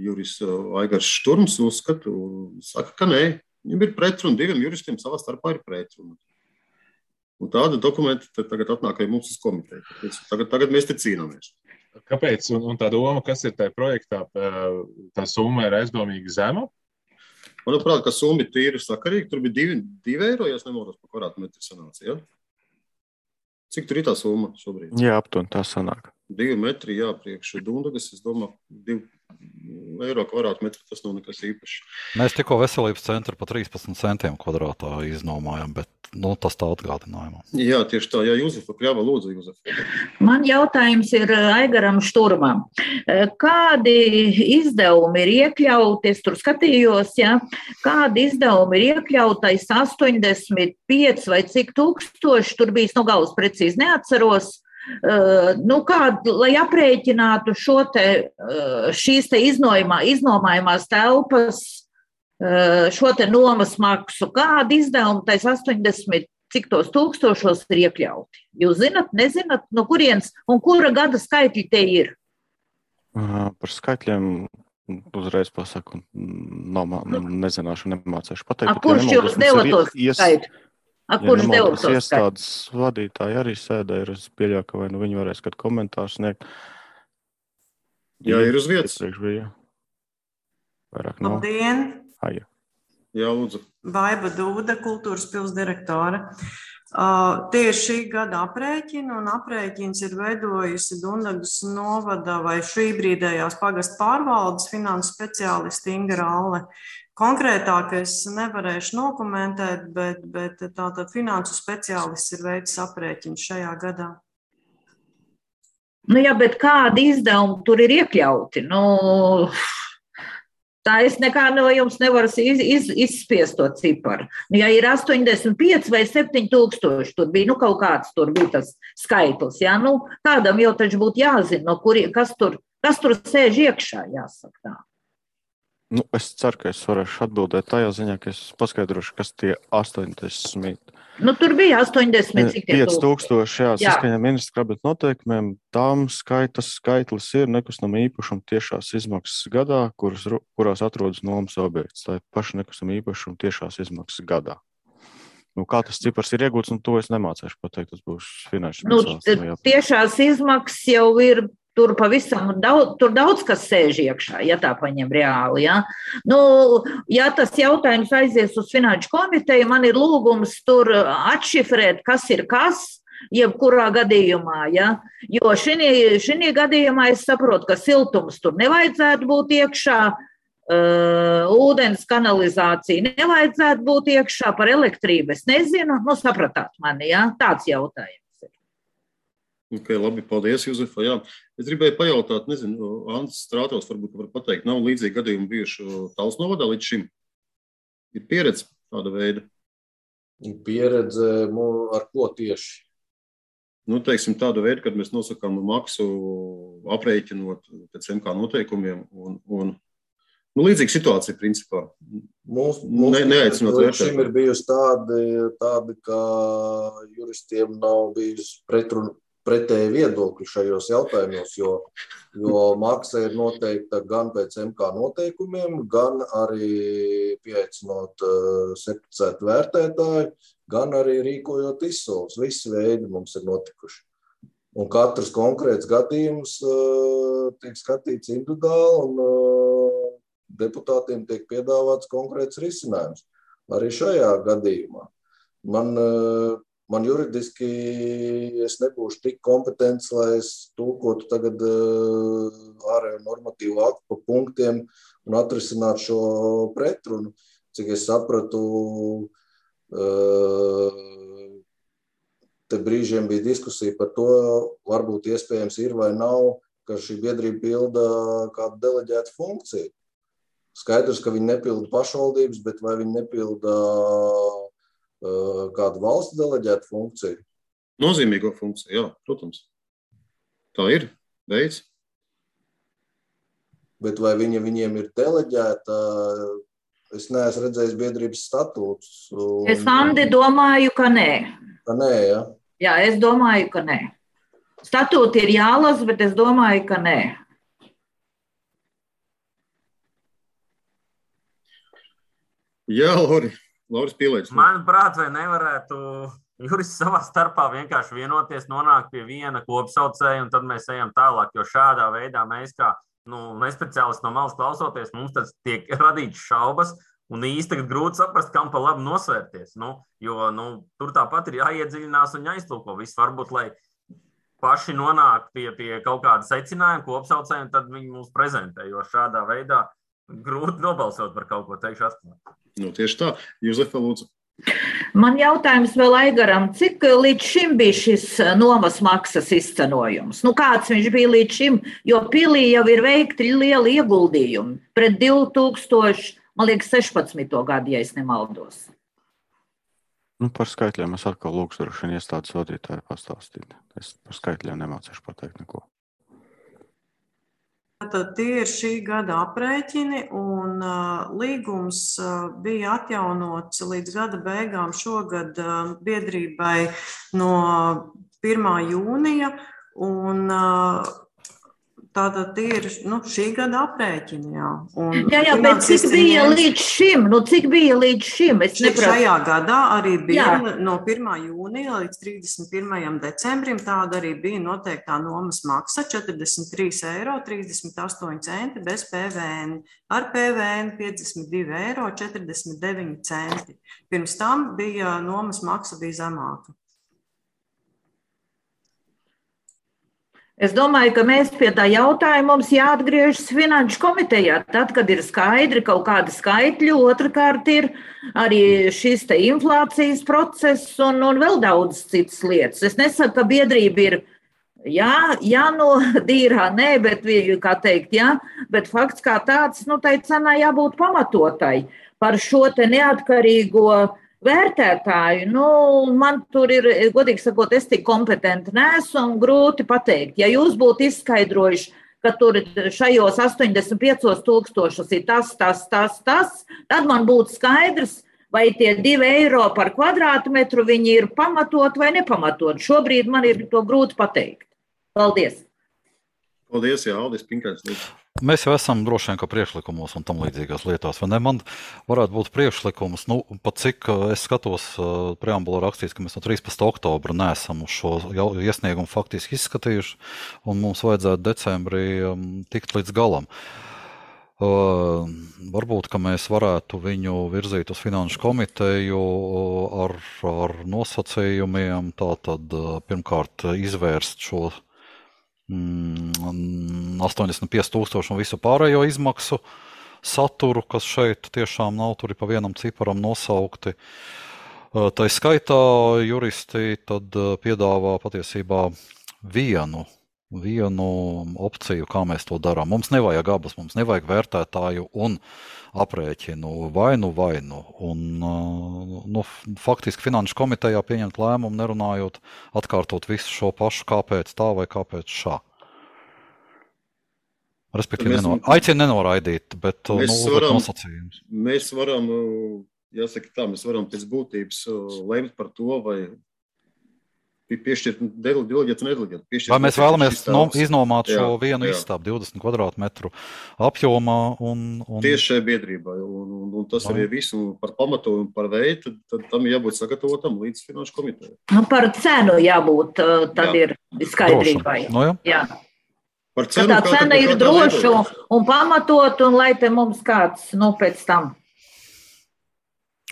jurists Aigars Šturms saka, ka nē, viņam ir pretruna, diviem juristiem savā starpā ir pretruna. Un tāda dokumenta tagad atnāk arī mums uz komiteju. Tagad mēs te cīnāmies. Kāpēc? Un tā doma, kas ir tajā projektā, tā summa ir aizdomīgi zema? Manuprāt, ka summa ir tīri sakarīga. Tur bija 2 eiro, ja es nemaldos par kvadrātmetru sanāca, ja? Cik tur ir tā summa šobrīd? Jā, aptuveni tā sanāk. 2 metri, jā, priekš Dundagas, es domāju, 2 eiro kvadrātmetru, tas nav nekas īpašs. Mēs tikko veselības centru pa 13 centiem kvadrātā iznomājam, bet tas tā atgādinājumā. Jā, tieši tā. Jā, Juzefa Kļava, lūdzu, Juzefa. Man jautājums ir Aigaram Šturmam. Kādi izdevumi ir iekļauti, es tur skatījos, ja, kādi izdevumi ir iekļautais 85 vai cik tūkstoši, tur bijis no galvas precīzi neatceros, lai aprēķinātu šīs te iznomājumās telpas, šo te nomas maksu, kādi izdevumi tais 80 cik tos tūkstošos ir iekļauti? Jūs zinat, nezinat, no kurienes un kura gada skaitļi te ir? Par skaitļiem uzreiz pasaku, nezināšu, nemācēšu pateikt. Kurš jūs deva tos skaitļus? Kurš deva tos skaitļus? Iestādes vadītāji arī sēdē, es pieļauju, ka vai nu viņi varēs kādu komentāru sniegt. Jā, ir uz vietas. Vairāk nav. Labdien! Jā, lūdzu. Baiba Dūda, kultūras pils direktore. Tieši šī gada aprēķina, un aprēķins ir veidojusi Dundagas novada vai šī brīdējās pagasta pārvaldes finansu speciālisti Inga Ralle. Konkrētāk es nevarēšu nokomentēt, bet tātad finansu speciālists ir veicis aprēķinu šajā gadā. Jā, bet kādi izdevumi tur ir iekļauti? Tā es nekā no jums nevaru izspiest to ciparu. Ja ir 85 vai 7000, tur bija, kaut kāds tur bija tas skaitlis, jā, kādam jau taču būtu jāzina, kas tur sēž iekšā, jāsaka tā. Es ceru, ka es varēšu atbildēt tajā ziņā, ka es paskaidrošu, kas tie 80. Tur bija 80, cik tie 5000, jā, saskaņā ministra kabineta noteikumiem, tām skaitlis ir nekustama īpašuma tiešās izmaksas gadā, kurās atrodas nomas objekts. Tā ir paša nekustama īpašuma tiešās izmaksas gadā. Kā tas cipars ir iegūts, to es nemācēšu pateikt, tas būs finanšu speciālists. Tiešās izmaksas jau ir. Tur pavisam daudz kas sēž iekšā, ja tā paņem reāli. Ja? Ja tas jautājums aizies uz finanšu komiteju, man ir lūgums tur atšifrēt, kas ir kas, jebkurā gadījumā. Ja? Jo šī gadījumā es saprotu, ka siltums tur nevajadzētu būt iekšā, ūdens kanalizācija nevajadzētu būt iekšā, par elektrību es nezinu, sapratāt mani, ja? Tāds jautājums. Okay, labi, paldies, Juzefa. Jā. Es gribēju pajautāt, nezinu, Andris Strātovs varbūt var pateikt, nav līdzīgi gadījumi bijuši Talsu novadā līdz šim? Ir pieredze tāda veida? Pieredze ar ko tieši? Teiksim, tāda veida, kad mēs nosakām maksu aprēķinot pēc MK noteikumiem un līdzīga situācija, principā. Neaicinot vērtēt. Šim ir bijusi tādi, ka juristiem nav bijusi pretēji viedokļi šajos jautājumos, jo maksa ir noteikta gan pēc MK noteikumiem, gan arī pieaicinot certificētu vērtētāju, gan arī rīkojot izsoles. Visi veidi mums ir notikuši. Un katrs konkrēts gadījums tiek skatīts individuāli un deputātiem tiek piedāvāts konkrēts risinājums. Arī šajā gadījumā. Man juridiski es nebūšu tik kompetents, lai es tulkotu tagad ārējo normatīvu aktu pa punktiem un atrisinātu šo pretrunu. Cik es sapratu, te brīžiem bija diskusija par to, varbūt iespējams ir vai nav, ka šī biedrība pilda kādu deleģētu funkciju. Skaidrs, ka viņi nepilda pašvaldības, bet vai viņi nepilda kādu valsts deleģētu funkciju? Nozīmīgo funkciju, jā, protams. Tā ir veids. Bet vai viņiem ir deleģēta? Es neesmu redzējis biedrības statūtus. Es, Andi, domāju, ka nē. Ka nē, ja? Jā, es domāju, ka nē. Statūti ir jālasa, bet es domāju, ka nē. Jā, Lauris Pielēģis. Manuprāt, vai nevarētu juristi savā starpā vienkārši vienoties, nonākt pie viena kopsaucēja, un tad mēs ejam tālāk, jo šādā veidā mēs kā nespeciālisti no malas klausoties, mums tas tiek radīts šaubas, un īsti tagad grūti saprast, kam pa labi nosvērties, jo tur tāpat ir jāiedziļinās un jāiztulko viss, varbūt, lai paši nonāk pie kaut kāda secinājuma kopsaucēja, un tad viņi mūs prezentē, jo šādā veidā grūti nobalsot par kaut ko, teikšu atklāt. Tieši tā. Juzefa, lūdzu. Man jautājums vēl Aigaram, cik līdz šim bija šis nomas maksas izcenojums? Kāds viņš bija līdz šim, jo pilī jau ir veikti lieli ieguldījumi pret 2016. gadu, ja es nemaldos. Par skaitļiem es atkal lūkšu droši vien iestādes vadītāju pastāstīt. Es par skaitļiem nemācīšu pateikt neko. Tad tie ir šī gada aprēķini, un līgums bija atjaunots līdz gada beigām šogad biedrībai no 1. jūnija, un tātad ir šī gada aprēķini, jā. Jā, bet cik bija līdz šim? Šajā gadā arī bija no 1. jūnija līdz 31. decembrim, tāda arī bija noteiktā nomas maksa 43,38 € bez PVN, ar PVN 52,49 €. Pirms tam bija nomas maksa bija zemāka. Es domāju, ka mēs pie tā jautājuma mums jāatgriežas Finanšu komitejā. Tad, kad ir skaidri kaut kādi skaitļi, otrkārt ir arī šis te inflācijas process un vēl daudz citas lietas. Es nesaku, ka biedrība ir jānodīrā, nē, bet, kā teikt, jā, bet fakts kā tāds, tai cenā jābūt pamatotai par šo te neatkarīgo vērtētāju, man tur ir, godīgi sakot, es tik kompetenti neesmu un grūti pateikt. Ja jūs būtu izskaidrojuši, ka tur šajos 85,000 ir tas, tad man būtu skaidrs, vai tie 2 € par kvadrātmetru viņi ir pamatot vai nepamatot. Šobrīd man ir to grūti pateikt. Paldies. Paldies, jā, Aldis Pinkāns. Mēs jau esam droši vien, ka priekšlikumos un tam līdzīgās lietās, vai ne? Man varētu būt priekšlikums, pat cik es skatos preambulā rakstīts, ka mēs no 13. oktobra neesam uz šo iesniegumu faktiski izskatījuši, un mums vajadzētu decembrī tikt līdz galam. Varbūt, ka mēs varētu viņu virzīt uz Finanšu komiteju ar nosacījumiem, tātad pirmkārt izvērst šo 85,000 un visu pārējo izmaksu saturu, kas šeit tiešām nav, tur ir pa vienam ciparam nosaukti. Tā skaitā juristi tad piedāvā patiesībā vienu opciju, kā mēs to darām. Mums nevajag abas, mums nevajag vērtētāju un aprēķinu vainu. Un, faktiski Finanšu komitejā pieņemt lēmumu, nerunājot, atkārtot visu šo pašu, kāpēc tā vai kāpēc šā. Respektīvi, aicinu nenoraidīt, bet nosacījums. Mēs varam, jāsaka tā, mēs varam pēc būtības lemt par to, vai piešķirt deleģēt un nedeleģēt. Vai mēs vēlamies iznomāt šo vienu istabu 20 kvadrātmetru apjomā? Tieši šai biedrībai. Un tas arī visu par pamatojumu, par veidu, tad tam jābūt sagatavotam līdz Finanšu komitejai. Par cenu jābūt, tad ir skaidrībai. Jā. Par cenu, tā cena ir droša un pamatot, un lai te mums kāds pēc tam.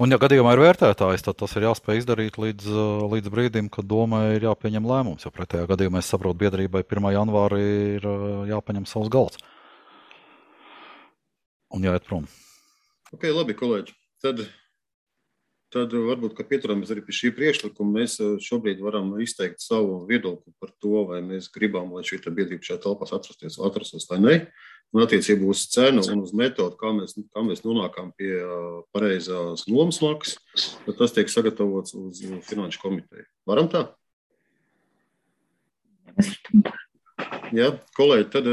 Un, ja gadījumā ir vērtētājs, tad tas ir jāspēj izdarīt līdz brīdim, kad domai ir jāpieņem lēmums, jo pretējā gadījumā es saprotu, biedrībai 1. janvārī ir jāpaņem savs galds. Un jāiet prom. Ok, labi, kolēģi. Tad varbūt, ka pieturamies arī pie šī priekšlikuma, mēs šobrīd varam izteikt savu viedokli par to, vai mēs gribam, lai šī biedrība šajā telpās atrastos vai ne. Un attiecībā uz cenu un uz metodu, kā mēs nonākam pie pareizās nomas maksas, tad tas tiek sagatavots uz Finanšu komiteju. Varam tā? Jā, kolēģi, tad,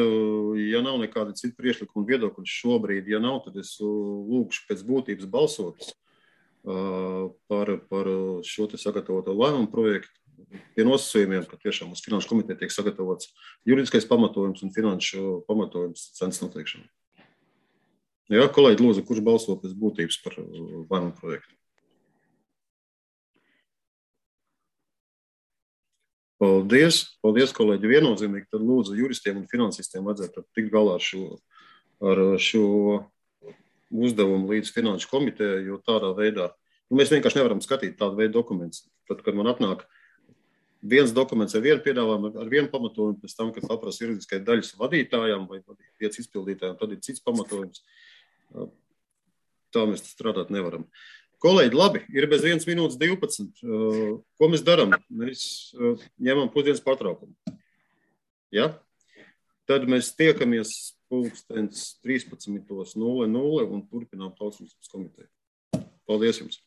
ja nav nekāda cita priekšlikuma viedokļa šobrīd, ja nav, tad es lūkšu pēc būtības balsot par šo te sagatavoto lēmumu projektu. Pie nosacījumiem, ka tiešām uz Finanšu komiteju tiek sagatavots juridiskais pamatojums un finanšu pamatojums cenas noteikšana. Jā, kolēģi, lūdzu, kurš balso pēc būtības par lēmumu projektu? Paldies, kolēģi, viennozīmīgi. Tad lūdzu juristiem un finansistiem vajadzētu tikt galā ar šo uzdevumu līdz Finanšu komitejai, jo tādā veidā mēs vienkārši nevaram skatīt tādu veidu dokumentus. Tad, kad man atnāk viens dokuments ar vienu piedāvājumu, ar vienu pamatojumu, pēc tam, kad paprasa juridiskai daļas vadītājām vai 5 izpildītājiem, tad ir cits pamatojums. Tā mēs strādāt nevaram. Kolēģi, labi, ir bez 1 minūtes 12. Ko mēs darām? Mēs ņemam pusdienas patraukumu. Ja? Tad mēs tiekamies 13:00 un turpinām Tautsības komiteju. Paldies jums!